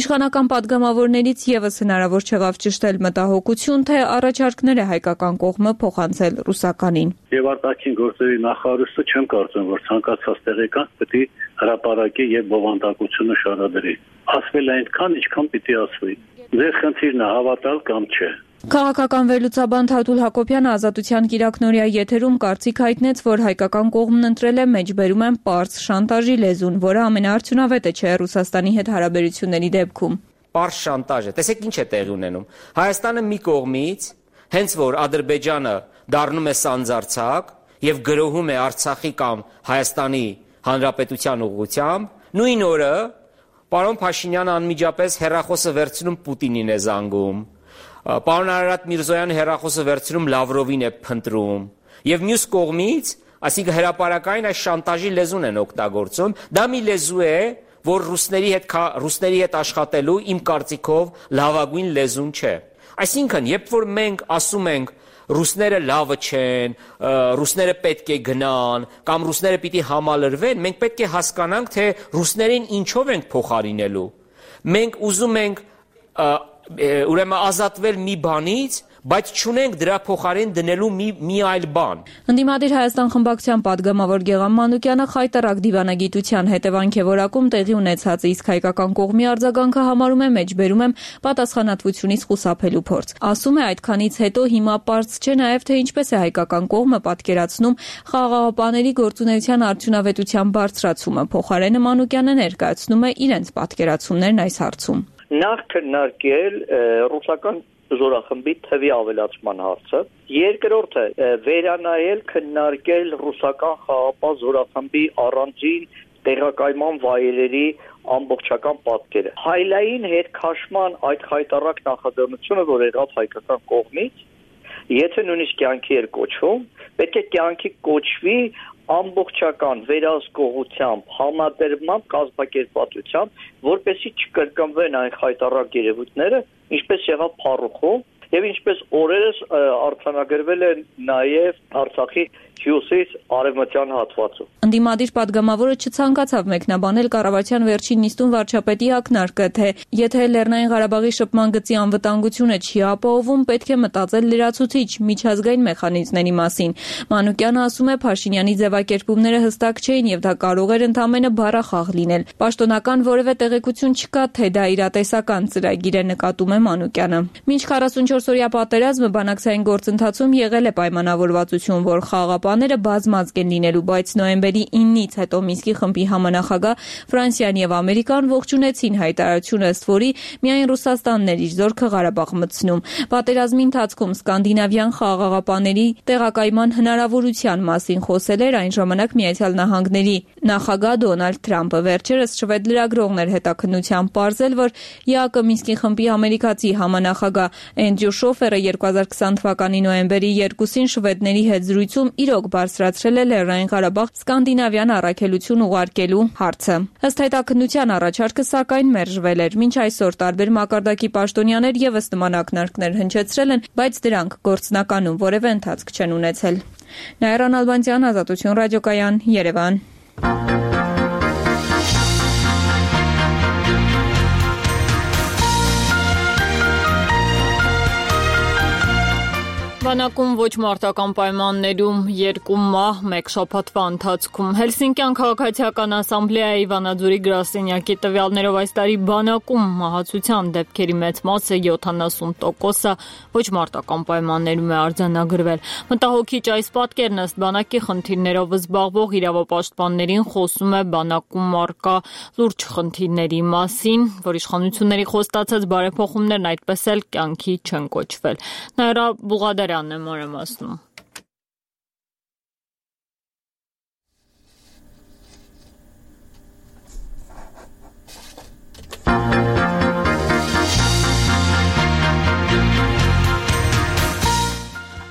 Speaker 12: Իշխանական падգամավորներից եւս հնարավոր չեղավ ճշտել մտահոգություն, թե առաջարկները հայկական կողմը փոխանցել ռուսականին։
Speaker 13: Եվ արտաքին գործերի նախարարությունը չեմ կարծում, որ ցանկացած տեղեկան պետք է հրապարակի եւ բովանդակությունը շարադրի։ Ասվել է այնքան, ինչքան պիտի ասվի։ Ձեր խնդիրն է հավատալ կամ չէ։
Speaker 12: Քաղաքական վերլուծաբան Թաթուլ Հակոբյանը Ազատության կիրակնօրյա եթերում կարծիք հայտնեց, որ հայկական կողմն ընտրել է մեջբերում են պարզ շանտաժի լեզուն, որը ամենաարդյունավետը չէ Ռուսաստանի հետ հարաբերությունների դեպքում։
Speaker 14: Պարզ շանտաժը, տեսեք ինչ է տեղի ունենում։ Հայաստանը մի կողմից, հենց որ Ադրբեջանը դառնում է սանձարձակ եւ գրոհում է Արցախի կամ Հայաստանի Հանրապետության ուղղությամբ, նույն օրը պարոն Փաշինյանը անմիջապես հեռախոսը վերցնում Պուտինին է զանգում։ Պարոն Արարատ Միրզոյանը հեռախոսը վերցնում Լավրովին է փնտրում եւ մյուս կողմից, այսինքն հրապարակային այս շանտաժի լեզուն են օգտագործում, դա մի լեզու է, որ ռուսների հետ աշխատելու իմ կարծիքով լավագույն լեզուն չէ։ Այսինքն, երբ որ մենք ասում ենք ռուսները լավը չեն, ռուսները պետք է գնան, կամ ռուսները պիտի համալրվեն, մենք պետք է հասկանանք, թե ռուսներին ինչով ենք փոխարինելու։ Մենք ուզում ենք ուրեմն ազատվել մի բանից, բայց չունենք դրա փոխարեն դնելու մի այլ բան։
Speaker 12: Ընդդիմադիր Հայաստան խմբակցության падգամավոր Գեգամ Մանուկյանը խայտարակ դիվանագիտության հետևանք է որակում տեղի ունեցած, իսկ հայկական կողմի արձագանքը համարում է մեջբերում եմ պատասխանատվությունից խուսափելու փորձ։ Ասում է այդքանից հետո հիմա պարզ չէ նաև թե ինչպես է հայկական կողմը պատկերացնում խաղաղապահների գործունեության արդյունավետության բարձրացումը։ Փոխարենը Մանուկյանը ներկայացնում է իրենց պատկերացումներն այս հարցում։
Speaker 15: Նախ քննարկել ռուսական զորախմբի թվի ավելացման հարցը, երկրորդը վերանայել, քննարկել ռուսական խաղաղապահ զորախմբի առանձին տեղակայման վայրերի ամբողջական պատկերը։ Հայլային հետ քաշման այդ խայտառակ նախաձեռնությունը, որ եղավ հայկական կողմից, եթե նույնիսկ կյանքի էր կոչվում, պետք է կյանքի կոչվի ամբողջական վերահսկողությամբ, համադրմամբ, կազմակերպվածությամբ, որպեսզի չկրկնվեն այն խայտառակ երևույթները, ինչպես եղավ Փառուխում, եւ ինչպես օրերս արձանագրվել է նաեւ Արցախի հյուսիս արևմտյան հատվածում։
Speaker 12: Ընդդիմադիր падգամավորը չցանկացավ մեկնաբանել կառավարության վերջին նիստում վարչապետի ակնարկը, թե եթե Լեռնային Ղարաբաղի շփման գծի անվտանգությունը չի ապահովում, պետք է մտածել լրացուցիչ միջազգային մեխանիզմների մասին։ Մանուկյանը ասում է, Փաշինյանի ձևակերպումները հստակ չէին եւ դա կարող էր ընդամենը բառախաղ լինել։ Պաշտոնական որևէ տեղեկություն չկա, թե դա իրատեսական ծրագիր է, նկատում է Մանուկյանը։ Մինչ 44 24-օրյա պատերազմը բանակցային գործընթացում եղել է պայմանավորվածություն, որ խաղաղապահները բազմազգ են լինելու, բայց նոյեմբերի 9-ից հետո Մինսկի խմբի համանախագահ Ֆրանսիան եւ Ամերիկան ողջունեցին հայտարարությունը, ըստ որի միայն Ռուսաստանն էր իր զորքը Ղարաբաղ մտցնում։ Պատերազմի ընթացքում սկանդինավյան խաղաղապահների տեղակայման հնարավորության մասին խոսել էր այն ժամանակ Միացյալ Նահանգների նախագահ Դոնալդ Թրամփը։ Վերջերս շվեդ լրագրողներ հետաքննությամբ պարզել, որ ԵԱԿ Մինսկի խմբի ամերիկացի համանախագահ Էնդրյու Շոֆերը 2020 թվականի նոյեմբերի 2-ին շվեդների հետ զրույցում իրոք բարձրացրել է Լեռնային Ղարաբաղ սկանդինավյան առաքելություն ուղարկելու հարցը։ Ըստ հետաքննության առաջարկը սակայն մերժվել էր։ Մինչ այսօր տարբեր մակարդակի պաշտոնյաներ եւս նման ակնարկներ հնչեցրել են, բայց դրանք գործնականում որևէ ընթացք չեն ունեցել։ Նաիրա Նալբանդյան, Ազատություն ռադիոկայան, Երևան։
Speaker 1: Բանակում ոչ մարտական պայմաններում 2 մահ 1 շաբաթվա ընթացքում Հելսինկյան քաղաքացիական ասամբլեայի Վանաձորի գրասենյակի տվյալներով այս տարի բանակում մահացության դեպքերի մեծ մասը 70%-ը ոչ մարտական պայմաններում է արձանագրվել։ Մտահոգիչ այս պատկերն ըստ բանակի խնդիրներով զբաղվող իրավապաշտպաններին խոսում է բանակում առկա լուրջ խնդիրների մասին, որ իշխանությունների խոստացած բարեփոխումներն այդպես էլ կյանքի չեն կոչվել։ Նաիրա Բուղադարյանն է մանրամասնում։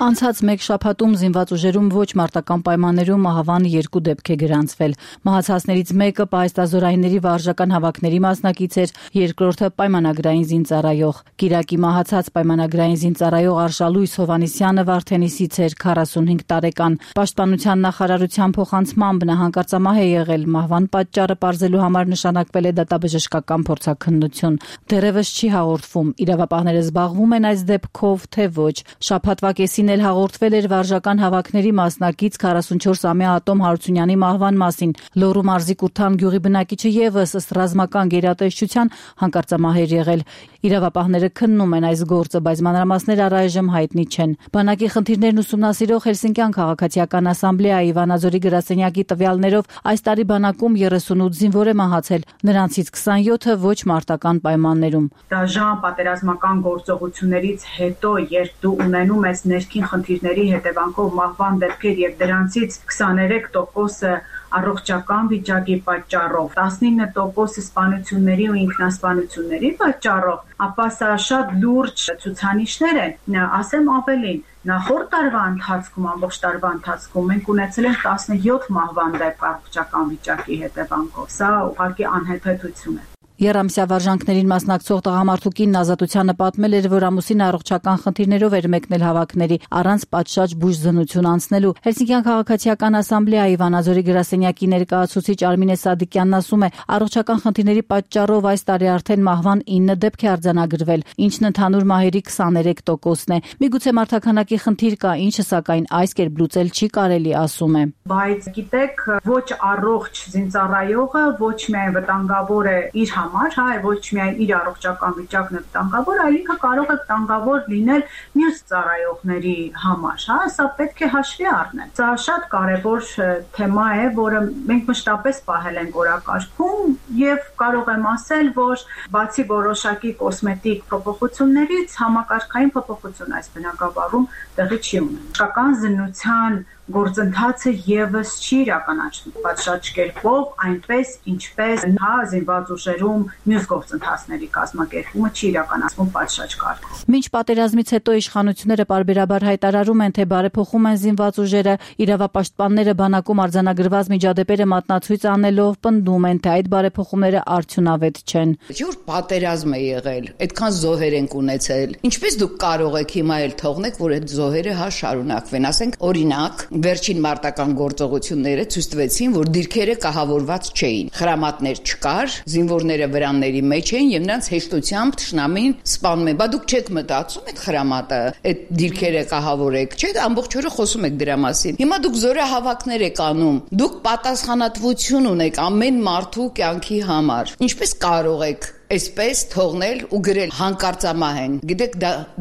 Speaker 16: Անցած մեկ շաբաթում զինված ուժերում ոչ մարտական պայմաններում մահվան 2 դեպք է գրանցվել։ Մահացածներից մեկը պահեստազորայինների վարժական հավաքների մասնակից էր, երկրորդը պայմանագրային զինծառայող։ Կիրակի մահացած պայմանագրային զինծառայող Արշալույս Հովանեսյանը Վարդենիսից էր, 45 տարեկան։ Պաշտպանության նախարարության փոխանցմամբ նա հանկարծամահ է եղել։ Մահվան պատճառը պարզելու համար նշանակվել է դատաբժշկական փորձաքննություն։ Դեռևս չի հաղորդվում իրավապահները զբաղվում են այս դեպքով, թե ոչ։ Շաբաթվա կեսին հաղորդվել էր վարժական հավաքների մասնակից 44-ամյա Ատոմ Հարությունյանի մահվան մասին։ Լոռու մարզի Կուրթան գյուղի բնակիչը եւս ըստ ռազմական գերատեսչության հանկարծամահ էր եղել։ Իրավապահները քննում են այս գործը, բայց մանրամասներ առայժմ հայտնի չեն։ Բանակի խնդիրներն ուսումնասիրող Հելսինկյան քաղաքացիական ասամբլեայի Վանաձորի գրասենյակի տվյալներով այս տարի բանակում 38 զինվոր է մահացել, նրանցից 27-ը ոչ մարտական պայմաններում։
Speaker 11: Դաժան պատերազմական գործողություններից հետո, երբ դու ունենում ես ներքին խնդիրների հետևանքով մահվան դեպքեր եւ դրանցից 23%-ը առողջական վիճակի պատճառով, 19% սպանությունների ու ինքնասպանությունների պատճառով, ապա սա շատ լուրջ ցուցանիշներ են։ Ասեմ ավելին, նախորդ տարվա ընթացքում, ամբողջ տարվա ընթացքում մենք ունեցել ենք 17 մահվան դեպք առողջական վիճակի հետևանքով։ Սա ուղղակի անհեթեթություն է։
Speaker 16: Երամսյա վարժանքներին մասնակցող տղամարդու կինն Ազատությանը պատմել էր, որ ամուսինը առողջական խնդիրներով էր մեկնել հավաքների, առանց պատշաճ բուժզնություն անցնելու։ Հելսինկյան քաղաքացիական ասամբլեայի Վանաձորի գրասենյակի ներկայացուցիչ Արմինե Սադիկյանն ասում է, առողջական խնդիրների պատճառով այս տարի արդեն մահվան 9 դեպք է արձանագրվել, ինչն ընդհանուր մահերի 23%-ն է։ Միգուցե մարդաքանակի խնդիր կա, ինչը սակայն այս կերպ լուծել չի կարելի, ասում է։
Speaker 11: Բայց գիտեք, ոչ առողջ զինծառայողը ոչ միայն վտանգավոր է իր համար, ոչ միայն իր առողջական վիճակն է վտանգավոր, այլ ինքը կարող է վտանգավոր լինել մյուս ծառայողների համար, սա պետք է հաշվի առնել։ Սա շատ կարևոր թեմա է, որը մենք մշտապես պահել ենք օրակարգում եւ կարող եմ ասել, որ բացի որոշակի կոսմետիկ փոփոխություններից համակարգային փոփոխություն այս բնագավառում տեղի չի ունենում։ Շական զննության գործընթացը եւս չի իրականացվում պատշաճ կերպով, այնպես ինչպես զինված ուժերում մյուս գործընթացների կազմակերպումը չի իրականացվում պատշաճ կարգով։
Speaker 16: Մինչ պատերազմից հետո իշխանությունները պարբերաբար հայտարարում են, թե բարեփոխում են զինված ուժերը, իրավապաշտպանները բանակում արձանագրված միջադեպերը մատնացույց անելով պնդում են, թե այդ բարեփոխումները արդյունավետ չեն։
Speaker 17: Որ պատերազմ է եղել, այդքան զոհեր ենք ունեցել։ Ինչպես դուք կարող եք հիմա էլ թողնեք, որ այդ զոհերը շարունակվեն, ասենք օրինակ վերջին մարտական գործողությունները ցույց տվեցին, որ դիրքերը կահավորված չէին։ Խրամատներ չկար, զինվորները վրանների մեջ էին եւ նրանց հեշտությամբ թշնամին սպանում են։ Բա դուք չեք մտածում այդ խրամատը, այդ դիրքերը կահավոր եք, չէ՞, ամբողջ օրը խոսում եք դրա մասին։ Հիմա դուք զորահավաքներ եք անում, դուք պատասխանատվություն ունեք ամեն մարդու կյանքի համար։ Ինչպես կարող եք այսպես թողնել ու գրել հանկարծամահ են։ Գիտեք,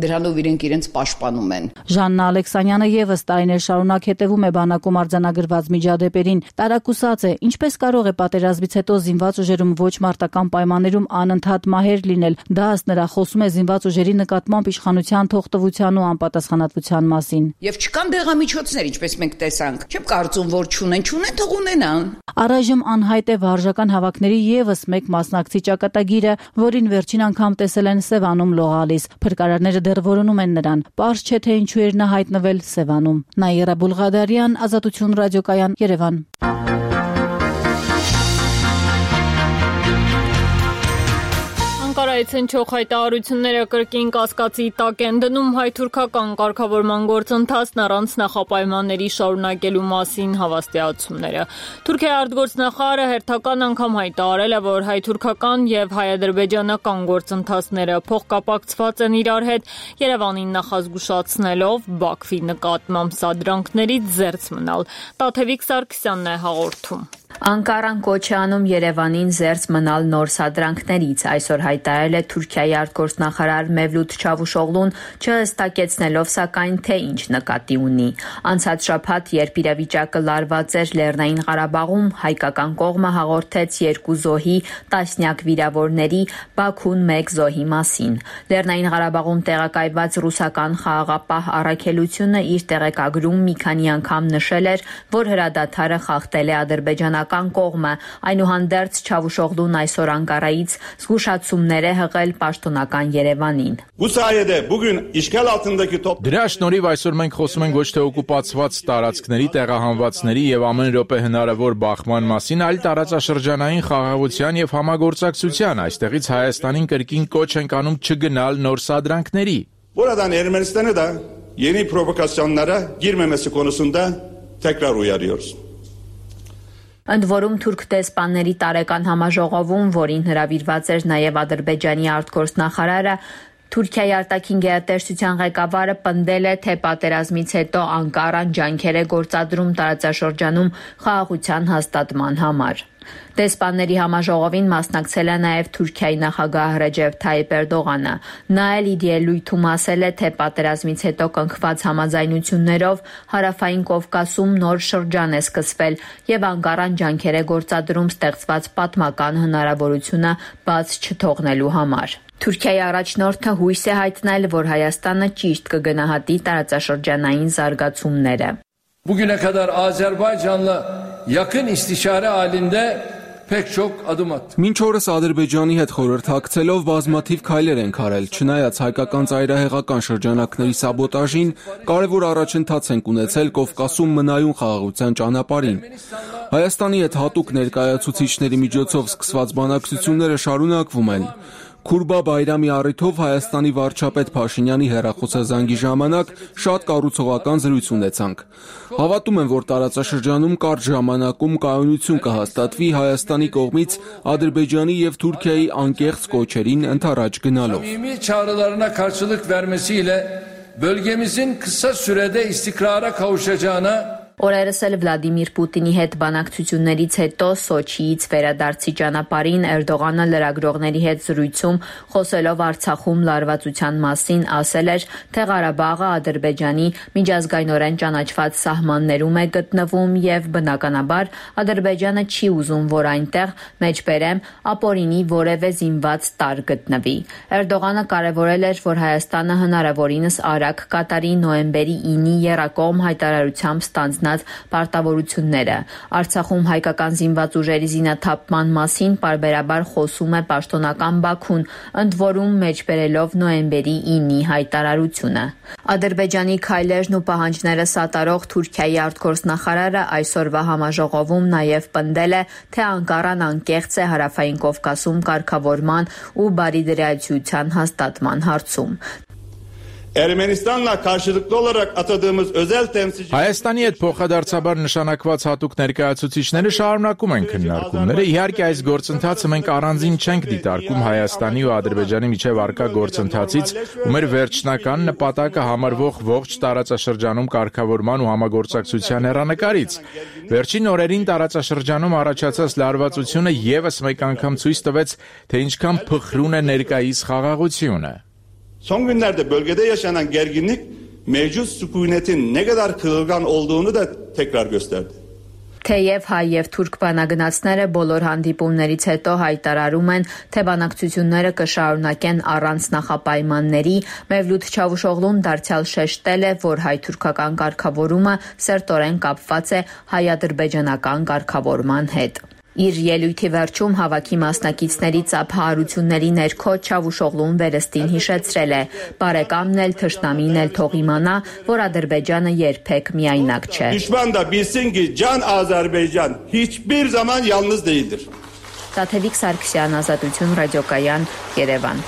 Speaker 17: դրանով իրենց պաշտպանում են։
Speaker 16: Ժաննա Ալեքսանյանը եւս տարիներ շարունակ հետևում է բանակում արձանագրված միջադեպերին։ Տարակուսած է, ինչպես կարող է պատերազմից հետո զինված ուժերում ոչ մարտական պայմաններում անընդհատ մահեր լինել։ Դա ըստ նրա խոսում է զինված ուժերի նկատմամբ իշխանության թողտվության ու անպատասխանատվության մասին։
Speaker 17: Եվ չկան դեղամիջոցներ, ինչպես մենք տեսանք։ Չեմ կարծում, որ չունեն, թող ունենան։
Speaker 16: Առայժմ անհայտ է վարժական հավաքների եւս մեկ մասնակցի ճակատագիրը, որին վերջին անգամ տեսել են Սևանում լողալիս։ Փրկարարները դեռ որոնում են նրան։ Պարզ չէ, թե ինչու էր նա հայտնվել Սևանում։ Նաիրա Բուլղադարյան, Ազատություն ռադիոկայան, Երևան։
Speaker 1: Անկարայից հնչող հայտարարությունները կրկին կասկածի տակ են դնում հայ-թուրքական կարգավորման գործընթացն առանց նախապայմանների շարունակելու մասին հավաստիացումները։ Թուրքիայի արտգործնախարարը հերթական անգամ հայտարարել է, որ հայ-թուրքական եւ հայ-ադրբեջանական գործընթացները փոխկապակցված են իրար հետ, Երևանին նախազգուշացնելով Բաքվի նկատմամբ սադրանքներից զերծ մնալ։ Տաթևիկ Սարգսյանն է հաղորդում։
Speaker 18: Անկարան կոչ է անում Երևանին զերծ մնալ նոր սադրանքներից, այսօր հայտարարել է Թուրքիայի արտգործնախարար Մևլութ Չավուշօղլուն, չհստակեցնելով սակայն թե ինչ նկատի ունի։ Անցած շաբաթ, երբ իրավիճակը լարված էր Լեռնային Ղարաբաղում, հայկական կողմը հաղորդեց 2 զոհի, տասնյակ վիրավորների, Բաքուն 1 զոհի մասին։ Լեռնային Ղարաբաղում տեղակայված ռուսական խաղաղապահ առաքելությունը իր տեղեկագրում մի քանի անգամ նշել էր, որ հրադադարը խախտել է ադրբեջանական կողմը, այնուհանդերձ Չավուշօղլուն այսօր Անկարայից զգուշացումներ է հղել պաշտոնական Երևանին։
Speaker 19: Դրա շնորհիվ այսօր մենք խոսում ենք ոչ թե օկուպացված տարածքների, տեղահանվածների եւ ամեն րոպե հնարավոր բախման մասին, այլ տարածաշրջանային խաղաղության եւ համագործակցության, այստեղից Հայաստանին կրկին կոչ ենք անում չգնալ նոր սադրանքների։
Speaker 20: Buradan Ermenistan'a da yeni provokasyonlara girmemesi konusunda tekrar uyarıyoruz.
Speaker 18: Ընդ որում թուրք դեսպանների տարեկան համաժողովում, որին հրավիրված էր նաև Ադրբեջանի արտգործնախարարը, Թուրքիայի արտաքին գերատեսչության ղեկավարը պնդել է, թե պատերազմից հետո Անկարան ջանքեր է գործադրում տարածաշրջանում խաղաղության հաստատման համար։ Դեսպանների համաժողովին մասնակցել է նաև Թուրքիայի նախագահ Ռեջեփ Թայիփ Էրդողանը։ Նա էլ իր ելույթում ասել է, թե պատերազմից հետո կնքված համաձայնություններով Հարավային Կովկասում նոր շրջան է սկսվել եւ Անկարան ջանքեր է գործադրում ստեղծված պատմական հնարավորությունը բաց չթողնելու համար։ Թուրքիայի առաջնորդը հույս է հայտնել, որ Հայաստանը ճիշտ կգնահատի տարածաշրջանային զարգացումները։
Speaker 21: Bugüne kadar Azerbaycan'la yakın istişare halinde pek çok adım attık.
Speaker 22: Մինչ օրս Ադրբեջանի հետ խորհրդակցելով բազմաթիվ քայլեր են արել, չնայած հայկական ծայրահեղական շրջանակների սաբոտաժին, կարևոր առաջընթաց են ունեցել Կովկասում մնայուն խաղաղության ճանապարհին։ Հայաստանի հետ հատուկ ներկայացուցիչների միջոցով սկսված բանակցությունները շարունակվում են։ Քուրբա Բայրամի առիթով Հայաստանի վարչապետ Փաշինյանի հեռախոսազանգի ժամանակ շատ կառուցողական զրույց ունեցանք։ Հավատում եմ, որ տարածաշրջանում կարճ ժամանակում կայունություն կհաստատվի Հայաստանի կողմից Ադրբեջանի եւ Թուրքիայի անկեղծ կոչերին ընդառաջ գնալով։
Speaker 21: Samimi çağrılarına karşılık vermesiyle bölgemizin kısa sürede istikrara kavuşacağına
Speaker 18: Օրերս էլ Վլադիմիր Պուտինի հետ բանակցություններից հետո Սոչիից վերադարձի ճանապարհին Էրդողանը լրագրողների հետ զրույցում խոսելով Արցախում լարվածության մասին ասել էր, թե Ղարաբաղը Ադրբեջանի միջազգայնորեն ճանաչված սահմաններում է գտնվում եւ բնականաբար Ադրբեջանը չի ուզում, որ այնտեղ մեջբերեմ ապօրինի որևէ զինված տար գտնվի։ Էրդողանը կարևորել էր, որ Հայաստանը հնարավորինս արագ կատարի նոյեմբերի 9-ի եռակողմ հայտարարությամբ ստանձնած պարտավորությունները։ Արցախում հայկական զինված ուժերի զինաթափման մասին պարբերաբար խոսում է պաշտոնական Բաքուն, ընդ որում մեջբերելով նոյեմբերի 9-ի հայտարարությունը։ Ադրբեջանի քայլերն ու պահանջները սատարող Թուրքիայի արտգործնախարարը այսօրվա համաժողովում նաև պնդել է, թե Անկարան անկեղծ է Հարավային Կովկասում կարգավորման ու բարիդրայցության հաստատման հարցում։
Speaker 20: Ermenistan'la karşılıklı olarak atadığımız özel temsilci
Speaker 19: Հայաստանի հետ փոխադարձաբար նշանակված հատուկ ներկայացուցիչները շարունակում են քննարկումները։ Իհարկե այս գործընթացը մենք առանձին չենք դիտարկում Հայաստանի ու Ադրբեջանի միջև առկա գործընթացից ու մեր վերջնական նպատակը համարվող ողջ տարածաշրջանում կարգավորման ու համագործակցության հեռանկարից։ Վերջին օրերին տարածաշրջանում առաջացած լարվածությունը եւս մեկ անգամ ցույց տվեց, թե ինչքան փխրուն է ներկայիս խաղաղությունը։
Speaker 20: Son günlerde bölgede yaşanan gerginlik mevcut sükunetin ne kadar kırılgan olduğunu da tekrar gösterdi.
Speaker 18: Թեև հայ եւ թուրք բանագնացները բոլոր հանդիպումներից հետո հայտարարում են, թե բանակցությունները կշարունակեն առանց նախապայմանների, Մևլութ Չավուշօղլուն դարձյալ շեշտել է, որ հայ-թուրքական կարգավորումը սերտորեն կապված է հայ-ադրբեջանական կարգավորման հետ։ Իր ելույթի վերջում հավաքի մասնակիցների ծափահարությունների ներքո Չավուշօղլուն վերստին հիշեցրել է. «Բարեկամն էլ թշնամին էլ թող իմանա, որ Ադրբեջանը երբեք միայնակ չէ»։
Speaker 20: Düşman da bilsin ki can Azerbaycan hiçbir zaman yalnız değildir.
Speaker 18: Տաթևիկ Սարգսյան, Ազատություն ռադիոկայան, Երևան։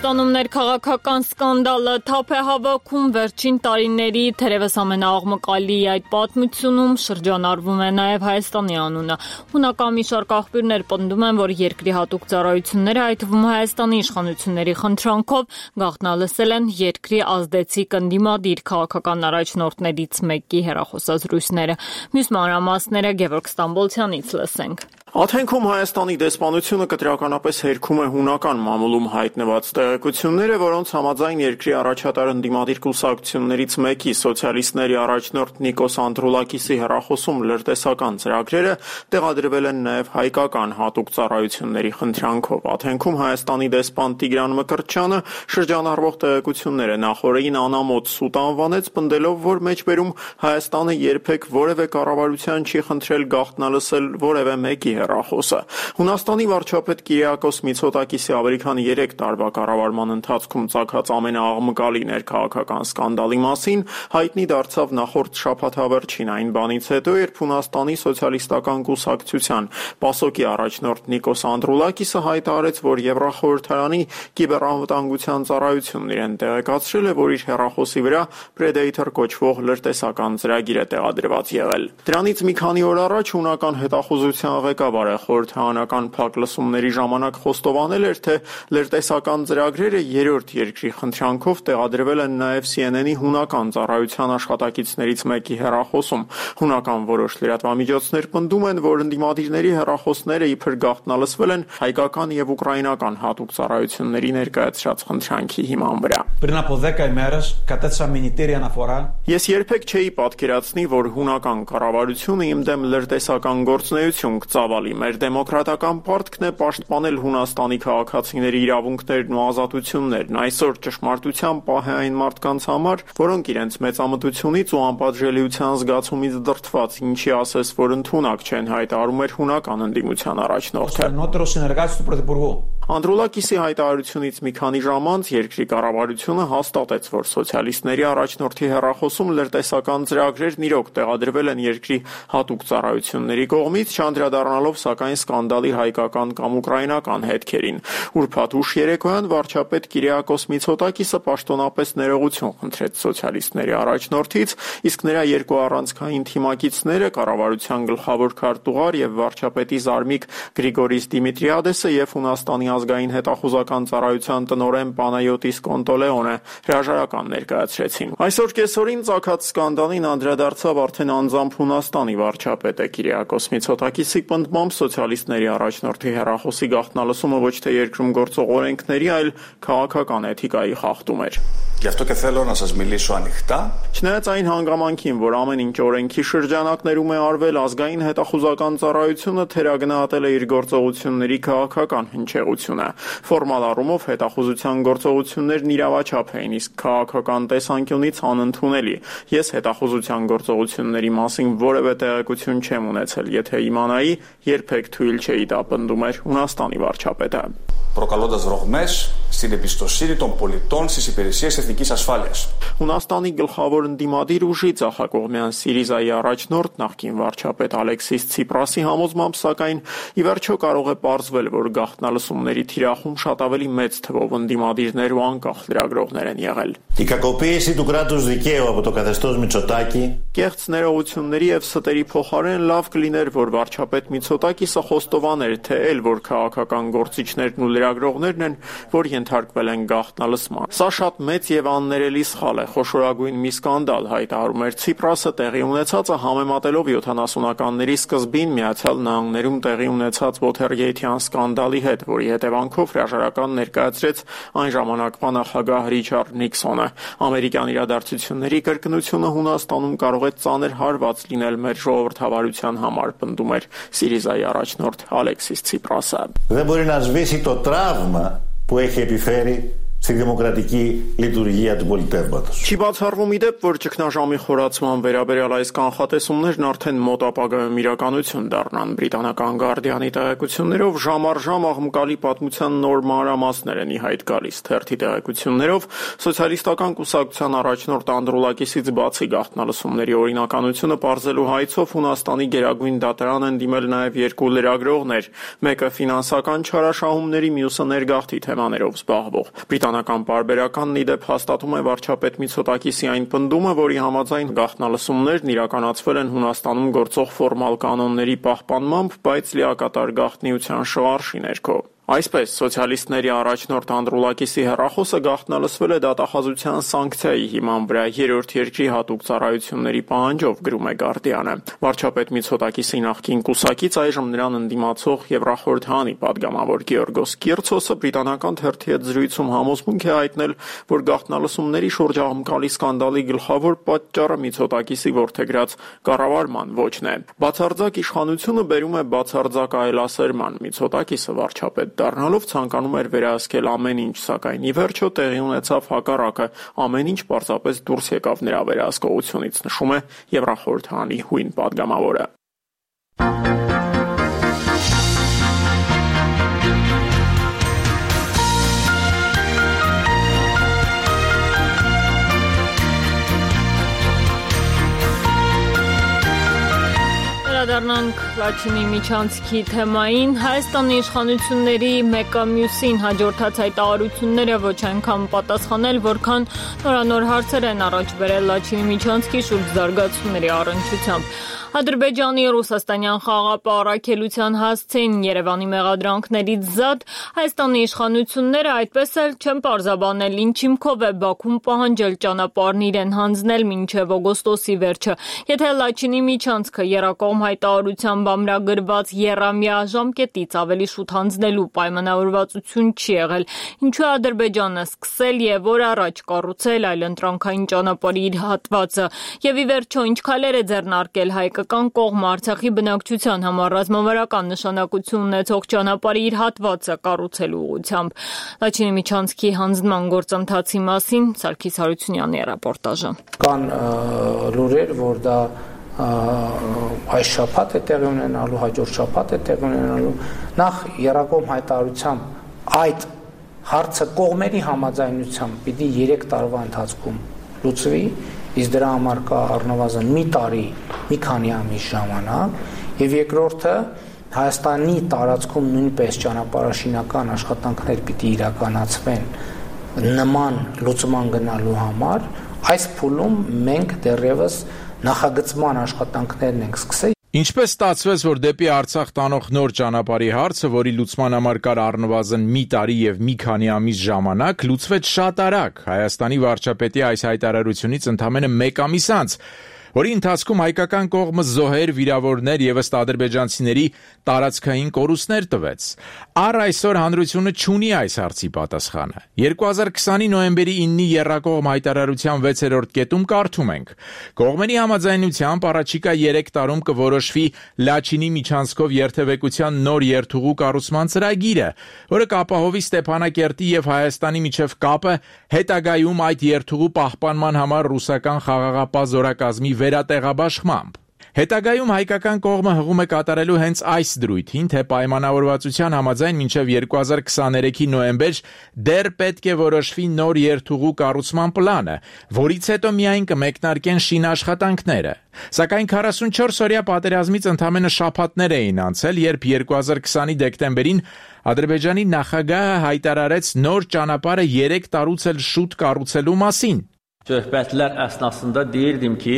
Speaker 1: Հայաստանում ներքաղաքական սկանդալը թափ է հավաքում վերջին տարիների թերևս ամենաաղմկալի այդ պատմությունում շրջանառվում է նաև Հայաստանի անունը։ Հունական մի շարք աղբյուրներ պնդում են, որ երկրի հատուկ ծառայությունները, այդ թվում Հայաստանի իշխանությունների խնդրանքով, գաղտնալսել են երկրի ազդեցիկ ընդդիմադիր քաղաքական առաջնորդներից մեկի հեռախոսազրույցները։ Մյուս մանրամասները Գևորգ Ստամբոլցյանից լսենք։
Speaker 2: Աթենքում Հայաստանի դեսպանությունը կտրականապես հերքում է հունական մամուլում հայտնված տեղեկությունները, որոնց համաձայն երկրի առաջատար ընդդիմադիր կուսակցություններից մեկի սոցիալիստների առաջնորդ Նիկոս Անդրուլակիսի հեռախոսում լրտեսական ծրագրերը տեղադրվել են նաև հայկական հատուկ ծառայությունների խնդրանքով։ Աթենքում Հայաստանի դեսպան Տիգրան Մկրտչյանը շրջանառվող տեղեկությունները նախօրեին անամոթ սուտ անվանեց, պնդելով, որ մեջբերում Հայաստանը երբեք որևէ կառավարության չի խնդրել գաղտնալսել որևէ մեկի հեռախոսը։ Հունաստանի վարչապետ Կիրիակոս Միցոտակիսի ավելի քան 3 տարվա կառավարման ընթացքում ծագած ամենաաղմկալի ներքաղաքական սկանդալի մասին հայտնի դարձավ նախորդ շաբաթավերջին այն բանից հետո, երբ Հունաստանի սոցիալիստական կուսակցության ՊԱՍՕԿ-ի առաջնորդ Նիկոս Անդրուլակիսը հայտարարեց, որ Եվրախորհրդարանի կիբերանվտանգության ծառայությունն իրեն տեղեկացրել է, որ իր հեռախոսի վրա Predator կոչվող լրտեսական ծրագիր է տեղադրված եղել։ Դրանից մի քանի օր առաջ հունական հետախուզության ղեկավարը խորհրդարանական փակ լսումների ժամանակ խոստովանել էր, թե լրտեսական ծրագրերը երրորդ երկրի խնդրանքով տեղադրվել են նաև CNN-ի հունական ծառայության աշխատակիցներից մեկի հեռախոսում։ Հունական որոշ լրատվամիջոցներ պնդում են, որ ընդդիմադիրների հեռախոսները իբր գաղտնալսվել են հայկական եւ ուկրաինական հատուկ ծառայությունների ներկայացրած խնդրանքի հիման վրա։ Ես երբեք չէի պատկերացնի, որ հունական կառավարությունը իմ դեմ լրտեսական գործունեություն կծավալի։ Մեր դեմոկրատական պարտքն է պաշտպանել Հունաստանի քաղաքացիների իրավունքներն ու ազատություններն։ Այսօր ճշմարտության պահ է այն մարդկանց համար, որոնք իրենց մեծամտությունից ու անպատժելիության զգացումից դրդված, ինչի ասես, որ ընդունակ չեն, հայտարարում էր հունական ընդդիմության առաջնորդը։ Անդրուլակիսի հայտարարությունից մի քանի ժամ անց երկրի կառավարությունը հաստատեց, որ սոցիալիստների առաջնորդի հեռախոսում լրտեսական ծրագրերն իրոք տեղադրվել են երկրի հատուկ ծառայությունների կողմից, չանդրադառնալով սակայն սկանդալի հայկական կամ ուկրաինական հետքերին։ Ուրբաթ ուշ երեկոյան վարչապետ Կիրիակոս Միցոտակիսը պաշտոնապես ներողություն խնդրեց սոցիալիստների առաջնորդից, իսկ նրա երկու առանցքային թիմակիցները, կառավարության գլխավոր քարտուղար եւ վարչապետի զարմիկ Գրիգորիս Դիմիտրիադեսը եւ Հունաստանի ազգային հետախուզական ծառայության տնօրեն Պանայոտիս Կոնտոլեոնը հրաժարական ներկայացրեցին։ Այսօր կեսօրին ծագած սկանդալին անդրադարձավ արդեն անձամբ Հունաստանի վարչապետը Կիրիակոս Միցոտակիսի պնդմամբ սոցիալիստների առաջնորդի հեռախոսի գաղտնալսումը ոչ թե երկրում գործող օրենքների, այլ քաղաքական էթիկայի խախտում էր։ Չնայած այն հանգամանքին, որ ամեն ինչ օրենքի շրջանակներում է արվել, ազգային հետախուզական ծառայությունը թերագնահատել է իր գործողությունների քաղաքական հնչեղությունը։ Ֆորմալ առումով հետախուզության գործողություններն իրավաչափ էին, իսկ քաղաքական տեսանկյունից անընդունելի։ Ես հետախուզության գործողությունների մասին որևէ տեղեկություն չեմ ունեցել, եթե իմանայի, երբեք թույլ չէի դա պնդում էր Հունաստանի վարչապետը։
Speaker 3: Προκαλώντας ρογμές στην εμπιστοσύνη των πολιτών στις υπηρεσίες εθνικής ασφάλειας.
Speaker 2: Հունաստանի գլխավոր ընդդիմադիր ուժի ցախակողմյան Սիրիզայի առաջնորդ նախկին վարչապետ Ալեքսիս Ցիպրասի համոզմամբ սակայն ի վերջո կարող է պարզվել, որ գաղտնալսումների թիրախում շատ ավելի մեծ թվով ընդդիմադիրներ ու անկախ լրագրողներ են եղել։
Speaker 4: Η κακοποίηση του κράτους δικαίου από το καθεστώς Μητσοτάκη.
Speaker 2: Կեղծ ներողությունների եւ ստերի փոխարեն լավ կլիներ, որ վարչապետ Միցոտակիսը խոստովաներ, թե էլ որ քաղաքական գործիչներն ու լրագրողներն են, որ ենթարկվել են գաղտնալսման։ Սա շատ մեծ եւ աններելի սխալ է, խոշորագույն մի սկանդալ, հայտարարում էր Ցիպրասը տեղի ունեցածը համեմատելով 70-ականների սկզբին Միացյալ Նահանգներում տեղի ունեցած Watergate-յան սկանդալի հետ, որի հետևանքով հրաժարական ներկայացրեց այն ժամանակվա նախագահ Ռիչարդ Նիքսոնը։ Ամերիկյան իրադարձությունների կրկնությունը Հունաստանում կարող է ծանր հարված լինել մեր ժողովրդավարության համար, պնդում էր Սիրիզայի առաջնորդ Ալեքսիս Ցիպրասը։
Speaker 4: Δεν μπορεί να σβήσει το τραύμα που έχει επιφέρει στη δημοκρατική λειτουργία του πολιτεύματος.
Speaker 2: Չի բացառվում ի դեպ, որ ճգնաժամի խորացման վերաբերյալ այս կանխատեսումներն արդեն մոտ ապագայում իրականություն դառնան։ Բրիտանական Guardian-ի տեղեկություններով ժամ առ ժամ աղմկալի պատմության նոր մանրամասներ են ի հայտ գալիս։ Թերթի տեղեկություններով սոցիալիստական կուսակցության առաջնորդ Անդրուլակիսից բացի գաղտնալսումների օրինականությունը պարզելու հայցով Հունաստանի գերագույն դատարան են դիմել նաև երկու լրագրողներ, մեկը ֆինանսական չարաշահումների, մյուսը ներգաղթի թեմաներով զբաղվող։ Բրիտանական պարբերականն ի դեպ հաստատում է վարչապետ Միցոտակիսի այն պնդումը, որի համաձայն գաղտնալսումներն իրականացվել են Հունաստանում գործող ֆորմալ կանոնների պահպանմամբ, բայց լիակատար գաղտնիության շվարժի ներքո։ Այսպես, սոցիալիստների առաջնորդ Անդրուլակիսի հեռախոսը գաղտնալսվել է դատախազության սանկցիայի հիման վրա երրորդ երկրի հատուկ ծառայությունների պահանջով, գրում է Guardian-ը։ Վարչապետ Միցոտակիսի նախկին կուսակից այժմ նրան ընդդիմացող Եվրախորհրդանի падգամավոր Գեորգոս Կիրցոսը բրիտանական թերթի հետ զրույցում համոզմունք է հայտնել, որ գաղտնալսումների շուրջ աղմկալի սկանդալի գլխավոր պատճառը Միցոտակիսի որդեգրած կառավարման ոճն է։ Բացարձակ իշխանությունը բերում է բացարձակ այլասերման։ Միցոտակիսը վարչապետ դառնալով ցանկանում էր վերահսկել ամեն ինչ, սակայն ի վերջո տեղի ունեցավ հակառակը, ամեն ինչ պարզապես դուրս եկավ նրա վերահսկողությունից, նշում է Եվրախորհրդանի հույն падգամավորը։
Speaker 1: Դառնանք Լաչինի միջանցքի թեմային։ Հայաստանի իշխանությունների մեկը մյուսին հաջորդած հայտարարությունները ոչ այնքան պատասխանել, որքան նորանոր հարցեր են առաջ բերել Լաչինի միջանցքի շուրջ զարգացումների առնչությամբ։ Ադրբեջանի ռուսաստանյան խաղապահարակելության հասցեին Երևանի մեղադրանքներից զատ Հայաստանի իշխանությունները այդպես էլ չեն պարզաբանել ինչ հիմքով է Բաքուն պահանջել ճանապարհն իրեն հանձնել մինչև օգոստոսի վերջը։ Եթե Լաչինի միջանցքը եռակողմ հայտարարությամբ ամրագրված եռամյա ժամկետից ավելի շուտ հանձնելու պայմանավորվածություն չի եղել, ինչու է Ադրբեջանը սկսել եւ որ առաջ կառուցել այլընտրանքային ճանապարհի իր հատվածը եւ ի վերջո ինչ քայլեր է ձեռնարկել հայկական կողմը Արցախի բնակչության համար ռազմավարական նշանակություն ունեցող ճանապարհի իր հատվածը կառուցելու ուղղությամբ։ Լաչինի միջանցքի հանձնման գործընթացի մասին Սարգիս Հարությունյանի ռեպորտաժը։
Speaker 23: Կան լուրեր, որ դա այս շաբաթ է տեղի ունենալու, հաջորդ շաբաթ է տեղի ունենալու։ Նախ եռակողմ հայտարարությամբ այդ հարցը կողմերի համաձայնությամբ պիտի 3 տարվա ընթացքում լուծվի, իսկ դրա համար կա առնվազն մի տարի, մի քանի ամիս ժամանակ, եւ երկրորդը Հայաստանի տարածքում նույնպես ճանապարհաշինական աշխատանքներ պիտի իրականացվեն նման լուծման գնալու համար, այս փուլում մենք դեռևս նախագծման աշխատանքներն ենք սկսել։
Speaker 19: Ինչպես ստացվեց, որ դեպի Արցախ տանող նոր ճանապարհի հարցը, որի լուծման համար կար առնվազն մի տարի եւ մի քանի ամիս ժամանակ, լուծվեց շատ արագ Հայաստանի վարչապետի այս հայտարարությունից ընդամենը 1 ամիս անց, որի ընթացքում հայկական կողմը զոհեր, վիրավորներ եւ ըստ ադրբեջանցիների տարածքային կորուստներ տվեց։ Առ այսօր հանրությունը չունի այս հարցի պատասխանը։ 2020-ի նոյեմբերի 9-ի եռակողմ հայտարարության 6-րդ կետում կարդում ենք. կողմերի համաձայնությամբ առաջիկա 3 տարում կորոշվի Լաչինի միջանցքով երթևեկության նոր երթուղու կառուցման ծրագիրը, որը կապահովի Ստեփանակերտի եւ Հայաստանի միջև կապը հետագայում այդ երթուղու պահպանման համար ռուսական խաղաղապահ զորակազմի վերատեղաբաշխմամբ։ Հետագայում հայկական կողմը հղում է կատարելու հենց այս դրույթին, թե պայմանավորվածության համաձայն մինչև 2023-ի նոյեմբեր դեռ պետք է որոշվի նոր երթուղու կառուցման պլանը, որից հետո միայն կմեկնարկեն շինաշխատանքները։ Սակայն 44-օրյա պատերազմից ընդամենը շաբաթներ էին անցել, երբ 2020-ի դեկտեմբերին Ադրբեջանի նախագահը հայտարարեց նոր ճանապարհը 3 տարուց էլ շուտ կառուցելու մասին։
Speaker 5: Söhbətlər əsnasında deyirdim ki,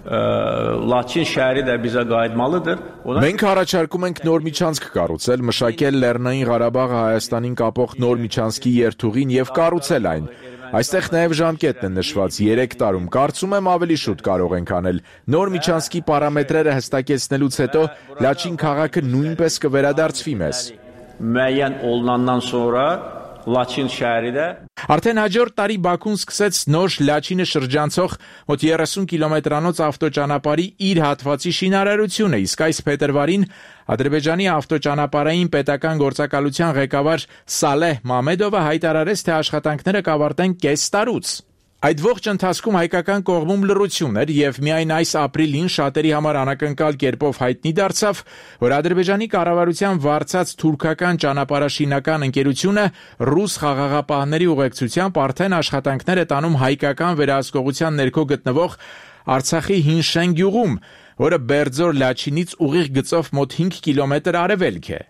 Speaker 5: Laçin şəhəri də bizə qayıtmalıdır.
Speaker 19: Մենք առաջարկում ենք նոր միջանցք կառուցել, մշակել Լեռնային Ղարաբաղը Հայաստանին կապող նոր միջանցքի երթուղին եւ կառուցել այն։ Այստեղ նաև ժամկետն է նշված 3 տարում, կարծում եմ ավելի շուտ կարող ենք անել։ Նոր միջանցքի պարամետրերը հստակեցնելուց հետո Լաչին քաղաքը նույնպես կվերադարձվի մեզ։
Speaker 5: Müəyyən olunandan sonra Laçin şəhəri də
Speaker 19: Արդեն հաջորդ տարի Բաքուն սկսեց նոր Լաչինը շրջանցող մոտ 30 կիլոմետրանոց ավտոճանապարհի իր հատվածի շինարարությունը, իսկ այս փետրվարին Ադրբեջանի ավտոճանապարհային պետական գործակալության ղեկավար Սալեհ Մամեդովը հայտարարեց, թե աշխատանքները կավարտեն կես տարուց։ Այդ ողջ ընթացքում հայկական կողմում լռություն էր եւ միայն այս ապրիլին շատերի համար անակնկալ կերպով հայտնի դարձավ, որ Ադրբեջանի կառավարության վարձած թուրքական ճանապարհաշինական ընկերությունը ռուս խաղաղապահների ուղեկցությամբ արդեն աշխատանքներ է տանում հայկական վերահսկողության ներքո գտնվող Արցախի Հինշեն գյուղում, որը Բերձոր Լաչինից ուղիղ գծով մոտ 5 կիլոմետր արևելք է։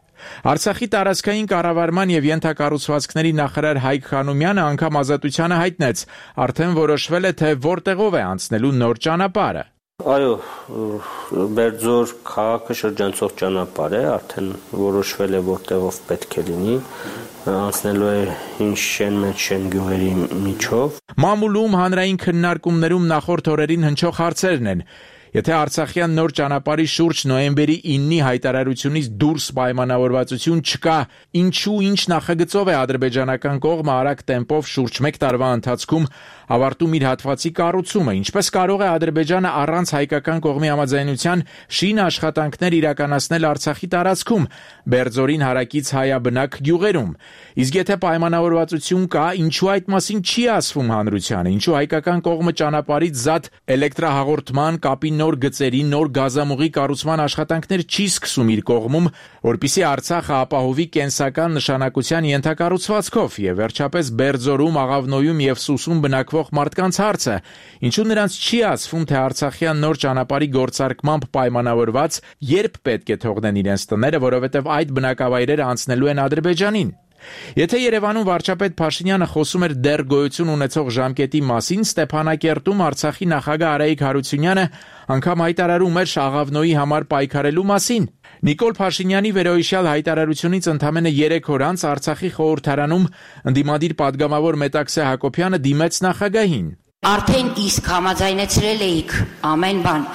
Speaker 19: Արցախի տարածքային կառավարման եւ ենթակառուցվածքների նախարար Հայկ Խանոմյանը անգամ Ազատությանը հայտնեց, արդեն որոշվել է, թե որտեղով է անցնելու նոր ճանապարհը։
Speaker 6: Այո, Բերձոր քաղաքը շրջանցող ճանապարհ է, արդեն որոշվել է որտեղով պետք է լինի, անցնելու է Հինշեն Մեջշեն գյուղերի միջով։
Speaker 19: Մամուլում հանրային քննարկումներում նախորդ օրերին հնչող հարցերն են։ Եթե Արցախյան նոր ճանապարհի շուրջ նոյեմբերի 9-ի հայտարարությունից դուրս պայմանավորվածություն չկա, ինչու ինչ նախագծով է ադրբեջանական կողմը արագ տեմպով շուրջ 1 տարվա ընթացքում ավարտում իր հատվածի կառուցումը, ինչպես կարող է Ադրբեջանը առանց հայկական կողմի համաձայնության շին աշխատանքներ իրականացնել Արցախի տարածքում, Բերձորին հարակից հայաբնակ գյուղերում։ Իսկ եթե պայմանավորվածություն կա, ինչու այդ մասին չի ասվում հանրությանը, ինչու հայկական կողմը ճանապարհից զատ էլեկտրահաղորդման կապի նոր գծերի, նոր գազամուղի կառուցման աշխատանքներ չի սկսում իր կողմում, որպիսի Արցախը ապահովի կենսական նշանակության ենթակառուցվածքով եւ վերջապես Բերձորում, Աղավնոյում եւ Սուսում բնակվող մարդկանց հարցը, ինչու նրանց չի ասվում, թե Արցախյան նոր ճանապարհի գործարկմամբ պայմանավորված երբ պետք է թողնեն իրենց տները, որովհետեւ այդ բնակավայրերը անցնելու են Ադրբեջանին։ Եթե Երևանում վարչապետ Փաշինյանը խոսում էր դեռ գոյություն ունեցող ժամկետի մասին, Ստեփանակերտում Արցախի նախագահ Արայիկ Հարությունյանը անգամ հայտարարում էր Աղավնոյի համար պայքարելու մասին։ Նիկոլ Փաշինյանի վերոհիշյալ հայտարարությունից ընդամենը 3 օր անց Արցախի խորհրդարանում ընդդիմադիր падգամավոր Մետաքսե Հակոբյանը դիմեց նախագահին։
Speaker 8: Արդեն իսկ համաձայնեցրել էիք ամեն բան,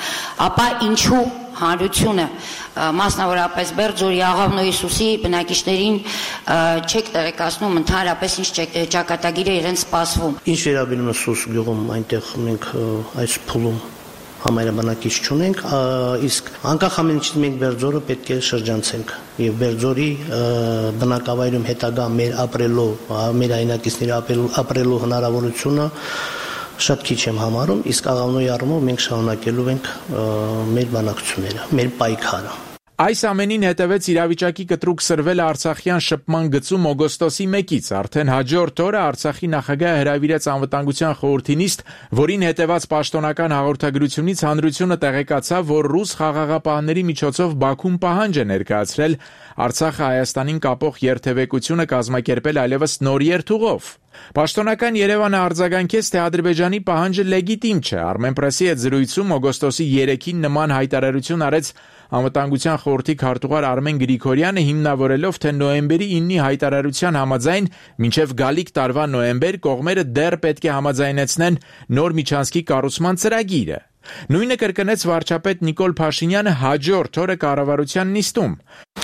Speaker 8: ապա ինչու հանրությունը, մասնավորապես Բերձորի, Աղավնոյի, Սուսի բնակիչներին չեք տեղեկացնում ընդհանրապես ինչ ճակատագիր է իրենց սպասվում։
Speaker 24: Ինչ վերաբերում է Սուս գյուղում, այնտեղ մենք այս փուլում համայնաբնակիչ չունենք, իսկ անկախ ամեն ինչից մենք Բերձորը պետք է շրջանցենք եւ Բերձորի բնակավայրում հետագա մեր ապրելու, մեր հայրենակիցների ապրելու հնարավորությունը շատ քիչ եմ համարում, իսկ Աղավնոյի առումով մենք շարունակելու ենք մեր բանակցությունները, մեր պայքարը։
Speaker 19: Այս ամենին հետևեց իրավիճակի կտրուկ սրվել Արցախյան շփման գծում օգոստոսի 1-ից, արդեն հաջորդ օրը Արցախի նախագահը հրավիրեց անվտանգության խորհրդի նիստ, որին հետևած պաշտոնական հաղորդագրությունից հանրությունը տեղեկացավ, որ ռուս խաղաղապահների միջոցով Բաքուն պահանջ է ներկայացրել Արցախը Հայաստանին կապող երթևեկությունը կազմակերպել այլևս նոր երթուղով։ Պաշտոնական Երևանը արձագանքեց, թե Ադրբեջանի պահանջը լեգիտիմ չէ։ Armenpress-ի հետ զրույցում օգոստոսի 3-ին նման հայտարարություն արեց Անվտանգության խորհրդի քարտուղար Արմեն Գրիգորյանը, հիմնավորելով, թե նոյեմբերի 9-ի հայտարարության համաձայն մինչև գալիք տարվա նոյեմբեր կողմերը դեռ պետք է համաձայնեցնեն նոր միջանցքի կառուցման ծրագիրը։ Նույնը կրկնեց վարչապետ Նիկոլ Փաշինյանը հաջորդ օրը կառավարության նիստում։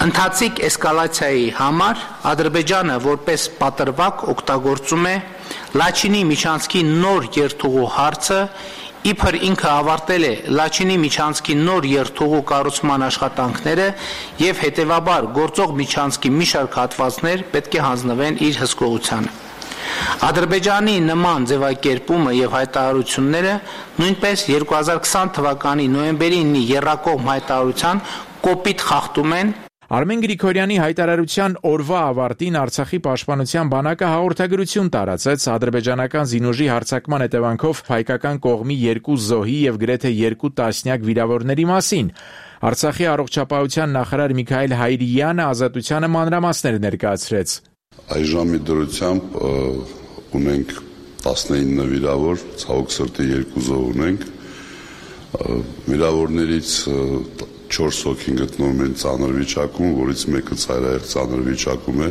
Speaker 23: Ընթացիկ էսկալացիայի համար Ադրբեջանը որպես պատրվակ օգտագործում է Լաչինի միջանցքի նոր երթուղու հարցը, իբր ինքը ավարտել է Լաչինի միջանցքի նոր երթուղու կառուցման աշխատանքները եւ հետեւաբար գործող միջանցքի մի շարք հատվածներ պետք է հանձնվեն իր հսկողությանը։ Ադրբեջանի նման ձևակերպումը եւ հայտարարությունները նույնպես 2020 թվականի նոյեմբերի 9-ի եռակողմ հայտարարության կոպիտ խախտում են
Speaker 19: Արմեն Գրիգորյանի հայտարարության օրվա ավարտին Արցախի պաշտպանության բանակը հաղորդագրություն տարածեց ադրբեջանական զինուժի հարձակման հետևանքով հայկական կողմի 2 զոհի եւ գրեթե 2 տասնյակ վիրավորների մասին։ Արցախի առողջապահության նախարար Միքայել Հայրյանը Ազատությանը մանրամասներ ներկայացրեց։
Speaker 7: Այժմի դրությամբ ունենք 19 վիրավոր, ցավոք սրտի 2 զոհ ունենք։ Վիրավորներից 4 հոգին գտնվում են ծանր վիճակում, որից մեկը ծայրահեղ ծանր վիճակում է,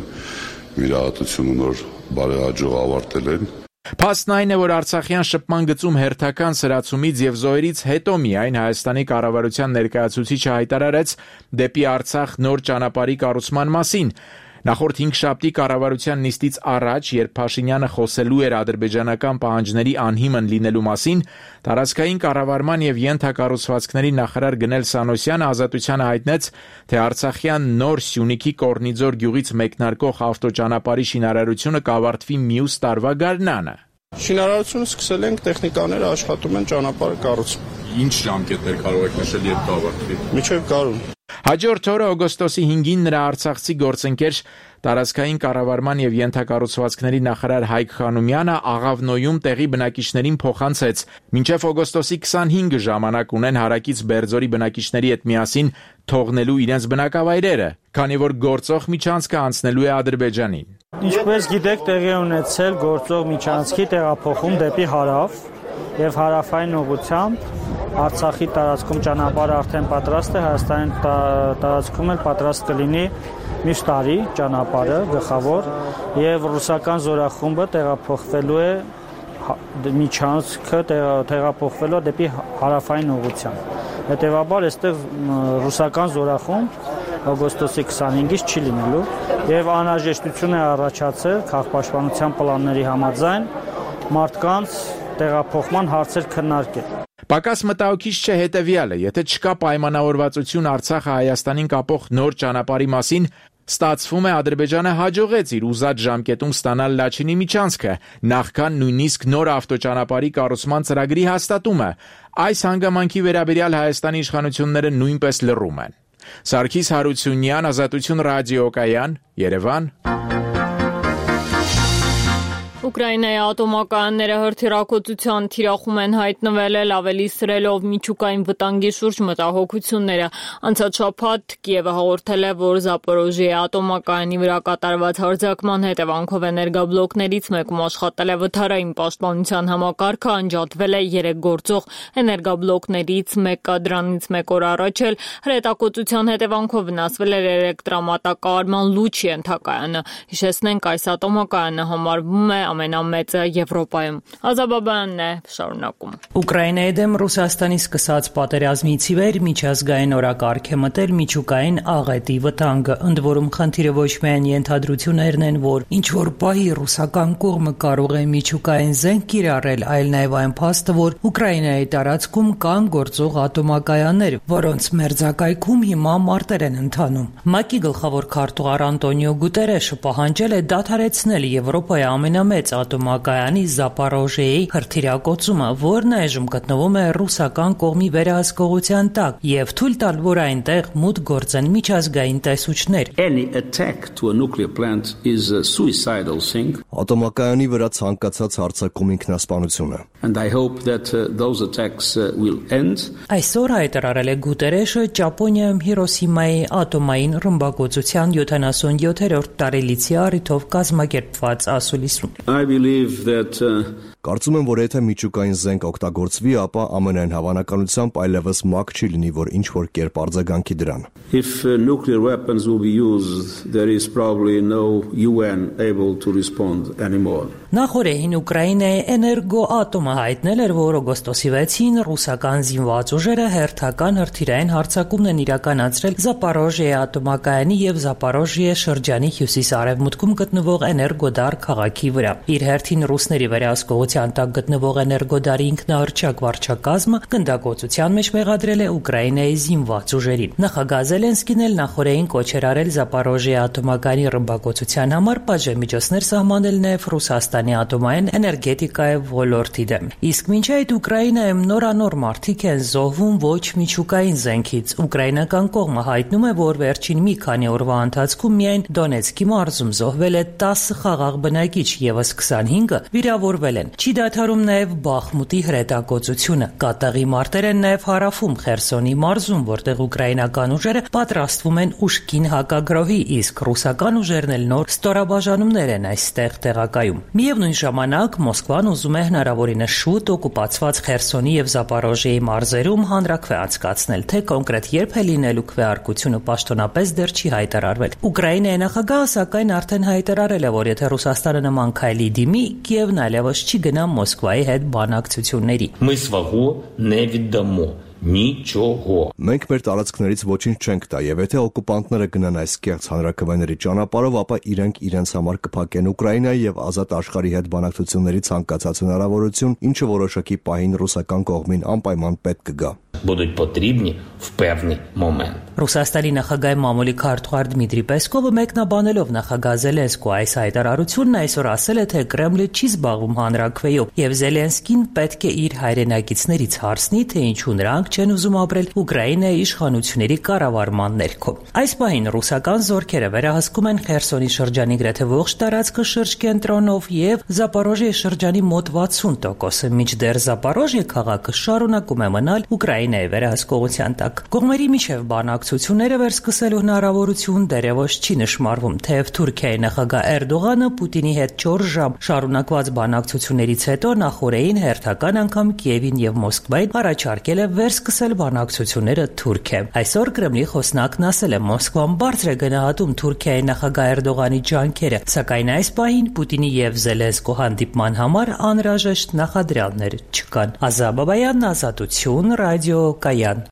Speaker 7: վիրահատությունը նոր բարեհաջող ավարտել են։
Speaker 19: Փաստն այն է, որ Արցախյան շփման գծում հերթական սրացումից եւ զոհերից հետո միայն Հայաստանի կառավարության ներկայացուցիչը հայտարարեց դեպի Արցախ նոր ճանապարհի կառուցման մասին։ Նախորդ 5 շաբթի կառավարության նիստից առաջ, երբ Փաշինյանը խոսելու էր ադրբեջանական պահանջների անհիմն լինելու մասին, տարածքային կառավարման եւ ենթակառուցվածքների նախարար Գնել Սանոսյանը Ազատությանը հայտնեց, թե Արցախյան նոր Սյունիքի Կորնիձոր գյուղից մեկնարկող ավտոճանապարհի շինարարությունը կավարտվի մյուս տարվա գարնանը։
Speaker 9: Շինարարությունը սկսել ենք, տեխնիկաները աշխատում են ճանապարհը կառուցում։
Speaker 10: Ինչ ժամկետներ կարող եք նշել, երբ կավարտվի։
Speaker 9: Մինչև գարուն։
Speaker 19: Հաջորդ օրը օգոստոսի 5-ին նրա արցախցի գործընկեր տարածքային կառավարման եւ ենթակառուցվածքների նախարար Հայկ Խանոմյանը Աղավնոյում տեղի բնակիչներին փոխանցեց։ Մինչև օգոստոսի 25-ը ժամանակ ունեն հարակից Բերձորի բնակիչների հետ միասին թողնելու իրենց բնակավայրերը, քանի որ գործող միջանցքը անցնելու է Ադրբեջանին։
Speaker 13: Ինչպես գիտեք, տեղի ունեցել գործող միջանցքի տեղափոխում դեպի հարավ եւ հարավային ուղղությամբ Արցախի տարածքում ճանապարհը արդեն պատրաստ է, Հայաստանի տարածքում էլ պատրաստ կլինի մյուս տարի ճանապարհը գլխավոր եւ ռուսական զորախումբը տեղափոխվելու է միջանցքը տեղափոխվելու դեպի հարավային ուղղությամբ։ Հետևաբար այստեղ ռուսական զորախումբ օգոստոսի 25-ից չի լինելու եւ անհրաժեշտություն է առաջացել քաղաքապաշտպանության պլանների համաձայն մարդկանց տեղափոխման հարցեր քննարկել։
Speaker 19: Պակաս մտահոգիչ չէ հետևյալը, եթե չկա պայմանավորվածություն Արցախը Հայաստանին կապող նոր ճանապարհի մասին, ստացվում է Ադրբեջանը հաջողեց իր ուզած ժամկետում ստանալ Լաչինի միջանցքը, նախքան նույնիսկ նոր ավտոճանապարհի կառուցման ծրագրի հաստատումը։ Այս հանգամանքի վերաբերյալ Հայաստանի իշխանությունները նույնպես լռում են։ Սարգիս Հարությունյան, Ազատություն ռադիոկայան, Երևան։
Speaker 1: Ուկրաինայի ատոմակայանները հրթիռակոծության թիրախում են հայտնվել ավելի սրելով միջուկային վտանգի շուրջ մտահոգությունները։ Անցած շաբաթ Կիևը հաղորդել է, որ Զապորոժիայի ատոմակայանի վրա կատարված հարձակման հետևանքով էներգաբլոկներից մեկում աշխատել է վթարային պաշտպանության համակարգը, անջատվել է 3 գործող էներգաբլոկներից մեկը, դրանից մեկ օր առաջ էլ հրետակոծության հետևանքով վնասվել էր էլեկտրամատակարարման լուչի ենթակայանը։ Հիշեցնենք, այս ատոմակայանը համարվում է ամենամեծը Եվրոպայում։ Ազաբաբյանն է շարունակում։
Speaker 25: Ուկրաինայի դեմ Ռուսաստանի սկսած պատերազմից ի վեր միջազգային օրակարգ է մտել միջուկային աղետի վտանգը, ընդ որում խնդիրը ոչ միայն ենթադրություններն են, որ ինչ որ պահի ռուսական կողմը կարող է միջուկային զենք կիրառել, այլ նաև այն փաստը, որ Ուկրաինայի տարածքում կան գործող ատոմակայաններ, որոնց մերձակայքում հիմա մարտեր են ընթանում։ ՄԱԿ-ի գլխավոր քարտուղար Անտոնիո Գուտերեշը պահանջել է դադարեցնել Եվրոպայի ամենամեծ ատոմակայանի Զապորոժիեի հրթիռակոծումը, որն այժմ գտնվում է ռուսական կողմի վերահսկողության տակ, եւ թույլ տալ, որ այնտեղ մուտք գործեն միջազգային տեսուչներ։
Speaker 26: Ատոմակայանի վրա ցանկացած հարձակում ինքնասպանություն է։
Speaker 25: Այսօր հայտարարել է Գուտերեշը Ճապոնիայում Հիրոսիմայի ատոմային ռմբակոծության 77-րդ տարելիցի առիթով կազմակերպված ասուլիսում։
Speaker 26: Կարծում եմ, որ եթե միջուկային զենք օգտագործվի, ապա ամենայն հավանականությամբ այլևս ՄԱԿ չի լինի, որ ինչ որ կերպ արձագանքի դրան։
Speaker 27: If nuclear weapons will be used, there is probably no UN able to respond anymore.
Speaker 25: Նախորդին Ուկրաինայի էներգոատոմը հայտնել էր, որ օգոստոսի 6-ին ռուսական զինված ուժերը հերթական հրթիռային հարձակումն են իրականացրել Զապորոժիեի ատոմակայանի եւ Զապորոժիե շրջանի հյուսիս-արևմուտքում գտնվող Էներգոդար քաղաքի վրա։ Իր հերթին ռուսների վերահսկողության վերահսկողության տակ գտնվող էներգոդարի ինքնահռչակ վարչակազմը գնդագործության մեջ մեղադրել է Ուկրաինայի զինված ուժերին։ Նախագահ Զելենսկին էլ նախորդին կոչ էր արել Զապորոժիա ատոմակայանի ռմբակոծության համար պատժամիջոցներ սահմանել նաև Ռուսաստանի ատոմային էներգետիկայի ոլորտի դեմ։ Իսկ մինչ այդ Ուկրաինայում նորանոր մարտիկ են զոհվում ոչ միջուկային զենքից։ Ուկրաինական կողմը հայտնում է, որ վերջին մի քանի օրվա ընթացքում միայն Դոնեցկի մարզում զոհվել է 10 խաղաղ բնակիչ, եւս 25-ը վիրավորվել են։ Չի դադարում նաև Բախմուտի հրետակոծությունը։ Կատաղի մարտեր են նաև հարավում Խերսոնի մարզում, որտեղ ուկրաինական ուժերը պատրաստվում են ուժքին հակագրոհի, իսկ ռուսական ուժերն էլ նոր ստորաբաժանումներ են այստեղ տեղակայում։ Միևնույն ժամանակ Մոսկվան ուզում է հնարավորինս շուտ օկուպացված Խերսոնի եւ Զապորոժիայի մարզերում հանրաքվե անցկացնել, թե կոնկրետ երբ է լինելու քվեարկությունը պաշտոնապես դեռ չի հայտարարվել։ Ուկրաինայի նախագահը սակայն արդեն հայտարարել է, որ եթե Ռուսաստանը նման քայլի դիմի, Կիևն այլևս չի գնա Մոսկվայի հետ բանակցությունների։
Speaker 11: Ми свого не віддамо. Նիչոհո։
Speaker 26: Մենք մեր տարածքներից ոչինչ չենք տա, եւ եթե օկուպանտները գնան այս կեղծ հանրաքվեների ճանապարհով, ապա իրենք իրենց համար կփակեն Ուկրաինայի եւ ազատ աշխարհի հետ բանակցությունների ցանկացած հնարավորություն, ինչը որոշակի պահին ռուսական կողմին անպայման պետք կգա։
Speaker 11: Будуть потрібні в певний момент.
Speaker 25: Ռուսաստանի նախագահի մամուլի քարտուղար Դմիտրի Պեսկովը մեկնաբանելով նախագահ Զելենսկու այս հայտարարությունն այսօր ասել է, թե Կրեմլը չի զբաղվում հանրաքվեով եւ Զելենսկին պետք է իր հայրենակիցներից հարցնի, թե ինչու նրանք չեն ուզում ապրել Ուկրաինայի իշխանությունների կառավարման ներքո։ Այս պահին ռուսական զորքերը վերահսկում են Խերսոնի շրջանի գրեթե ողջ տարածքը շրջկենտրոնով եւ Զապորոժիայի շրջանի մոտ 60%-ը, մինչդեռ Զապորոժիա քաղաքը շարունակում է մնալ Ուկրաինայի վերահսկողության տակ։ Կողմերի միջև բանակցությունները վերսկսելու հնարավորություն դեռևս չի նշմարվում, թեև Թուրքիայի նախագահ Էրդողանը Պուտինի հետ 4 ժամ շարունակված բանակցություններից հետո նախորդին հերթական անգամ Կիևին եւ Մոսկվային առաջարկել է վերսկսել բանակցությունները Թուրքիա։ Այսօր Կրեմլի խոսնակն ասել է, Մոսկվան բարձր է գնահատում Թուրքիայի նախագահ Էրդողանի ջանքերը, սակայն այս պահին Պուտինի եւ Զելենսկու հանդիպման համար անհրաժեշտ նախադրյալներ չկան։ Ազա Բաբայան, Ազատություն, Ռադիո Կայան։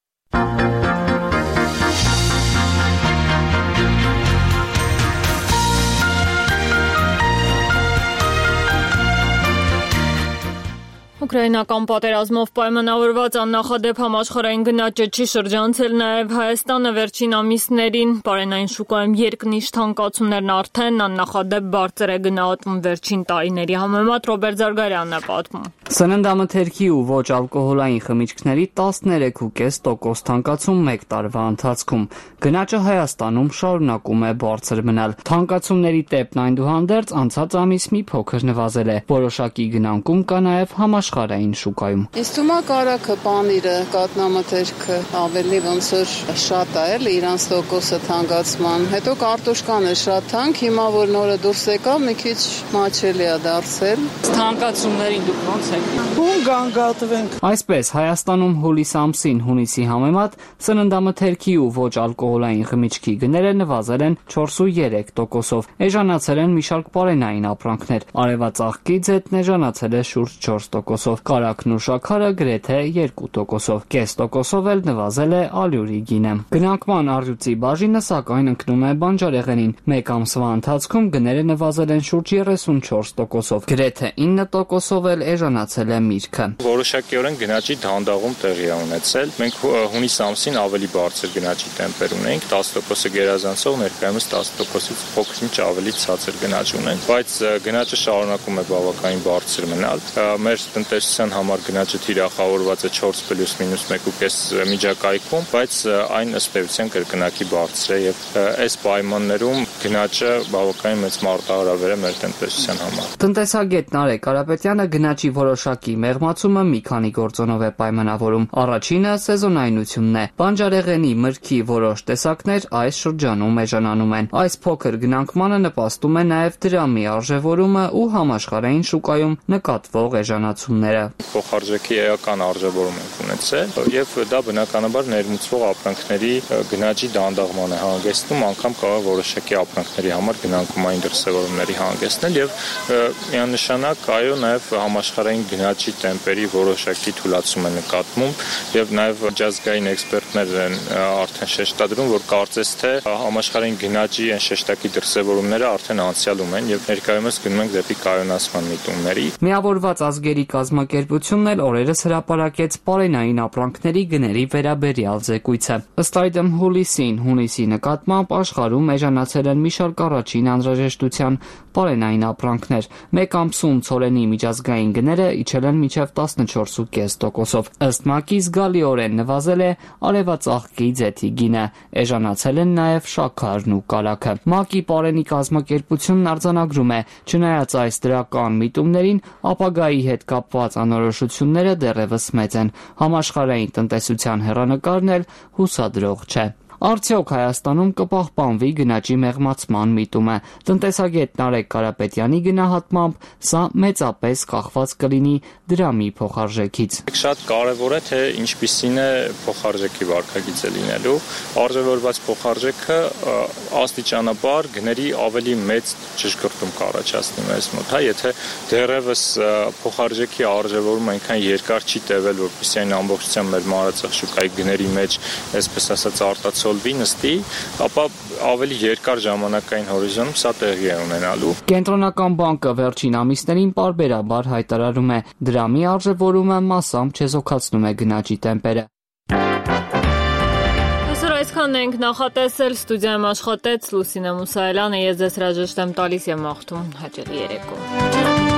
Speaker 1: Ուկրաինական պատերազմով պայմանավորված աննախադեպ համաշխարհային գնաճը չի շրջանցել նաև Հայաստանը վերջին ամիսներին։ Պարենային շուկայում երկնիշ թանկացումներն արդեն աննախադեպ բարձր է գնահատվում վերջին տարիների համեմատ։ Ռոբերտ Զարգարյանն է պատմում։
Speaker 12: Սննդամթերքի ու ոչ ալկոհոլային խմիչքների 13.5% թանկացում 1 տարվա ընթացքում։ Գնաճը Հայաստանում շարունակում է բարձր մնալ։ Թանկացումների տեպն այնուհանդերձ անցած ամիս մի փոքր նվազել է։ Որոշակի գնանկում կա նաև համաշխարհային շուկայում։
Speaker 14: Ինձ թվում է կարագը, պանիրը, կատնամթերքը ավելի ոնց որ շատ է, էլի իրանց տոկոսը թանկացման։ Հետո կարտոշկան է շատ թանկ, հիմա որ նորը դուրս եկավ, մի քիչ մաչելի է դարձել։
Speaker 12: Թանկացումներին դուք ոնց եք։
Speaker 14: Ում գանգատվենք։
Speaker 12: Այսպես Հայաստանում հուլիս ամսին հունիսի համեմատ սննդամթերքի ու ոչ ալկոհոլային խմիչքի գները նվազել են 4.3%-ով։ Էժանացել են մի շարք պարենային ապրանքներ։ Արևածաղկի ձետն էժանացել է շուրջ 4%-ով, կարագն ու շաքարը գրեթե 2%-ով, կես տոկոսով էլ նվազել է ալյուրի գինը։ Գնանկման առյուծի բաժինը սակայն ընկնում է բանջարեղենին։ Մեկ ամսվա ընթացքում գները նվազել են շուրջ 34%-ով, գրեթե 9%-ով էլ էժանացել է միրգը։
Speaker 15: Որոշակիորեն գնաճի դանդաղում տեղի է ունեցել։ Մենք հունիս ամսին ավելի բարձր գնաճի տեմպեր ունենք, 10%-ը գերազանցող, ներկայումս 10%-ից փոքր-ինչ ավելի ցածր գնաճ ունենք, բայց գնաճը շարունակում է բավականին բարձր մնալ։ Մեր տնտեսության համար գնաճը թիրախավորված է 4+-1.5 միջակայքում, բայց այն ըստ էության կրկնակի բարձր է եւ այս պայմաններում գնաճը բավականին մեծ մարտահրավեր է մեր տնտեսության համար։
Speaker 12: Տնտեսագետ Նարեկ Կարապետյանը գնաճի որոշակի մեղմացումը մի քանի գործոնով է պայմանավորում։ Առաջինը սեզոնայնությունն է։ Բանջարեղենի, մրգի որոշ տեսակներ այս շրջանում էժանանում են։ Այս փոքր գնանկմանը նպաստում է նաև դրամի արժևորումը ու համաշխարհային շուկայում նկատվող էժանացումները։
Speaker 15: Փոխարժեքի էական արժևորում ենք ունեցել եւ դա բնականաբար ներմուծվող ապրանքների գնաճի դանդաղման է հանգեցնում, անգամ կարող որոշակի ապրանքների համար գնանկումային դրսևորումների հանգեցնել եւ միանշանակ այո նաեւ համաշխարհային գնաճի տեմպերի որոշակի թուլացում է նկատվում եւ նաեւ միջազգային էքսպերտներ են արդեն շեշտադրում, որ կարծես թե համաշխարհային գնաճի այն շեշտակի դրսևորումները արդեն անցյալում են եւ ներկայումս գնում ենք դեպի կայունացման միտումների։
Speaker 12: Միավորված ազգերի կազմակերպությունն էլ օրերս հրապարակեց պարենային ապրանքների գների վերաբերյալ զեկույցը։ Ըստ այդմ հունիսի նկատմամբ աշխարհում էժանացել են մի շարք առաջին անհրաժեշտության պարենային ապրանքներ։ Մեկ ամսում ցորենի միջազգային գները իջել են մինչև 14.5%-ով։ Ըստ ՄԱԿ-ի զգալիորեն նվազել է արևածաղկի ձեթի գինը, էժանացել են նաև շաքարն ու կարագը։ ՄԱԿ-ի պարենի կազմակերպությունն արձանագրում է, չնայած այս դրական միտումներին, ապագայի հետ կապված անորոշությունները դեռևս մեծ են։ Համաշխարհային տնտեսության հեռանկարն էլ հուսադրող չէ։ Արդյոք Հայաստանում կպահպանվի գնաճի մեղմացման միտումը։ Տնտեսագետ Նարեկ Կարապետյանի գնահատմամբ սա մեծապես կախված կլինի դրամի փոխարժեքից։
Speaker 15: Շատ կարևոր է, թե ինչպիսին է փոխարժեքի վարքագիծը լինելու։ Արժևորված փոխարժեքը աստիճանաբար գների ավելի մեծ ճշգրտում կառաջացնի մեզ մոտ, եթե դեռևս փոխարժեքի արժևորումը այնքան երկար չի տևել, որպեսզի այն ամբողջությամբ մեր մարզաձախ շուկայի գների մեջ, այսպես ասած, արտացոլվի, նստի, ապա ավելի երկար ժամանակային հորիզոնում սա տեղի է ունենալու։
Speaker 12: Կենտրոնական բանկը վերջին ամիսներին պարբերաբար հայտարարում է, դրամի արժևորումը մասամբ չեզոքացնում է գնաճի տեմպերը։
Speaker 1: Այսքանն ենք նախատեսել, ստուդիայում աշխատեց Լուսինե Մուսայելյանը, ես ձեզ հրաժեշտ եմ տալիս եւ մաղթում հաճելի երեկո։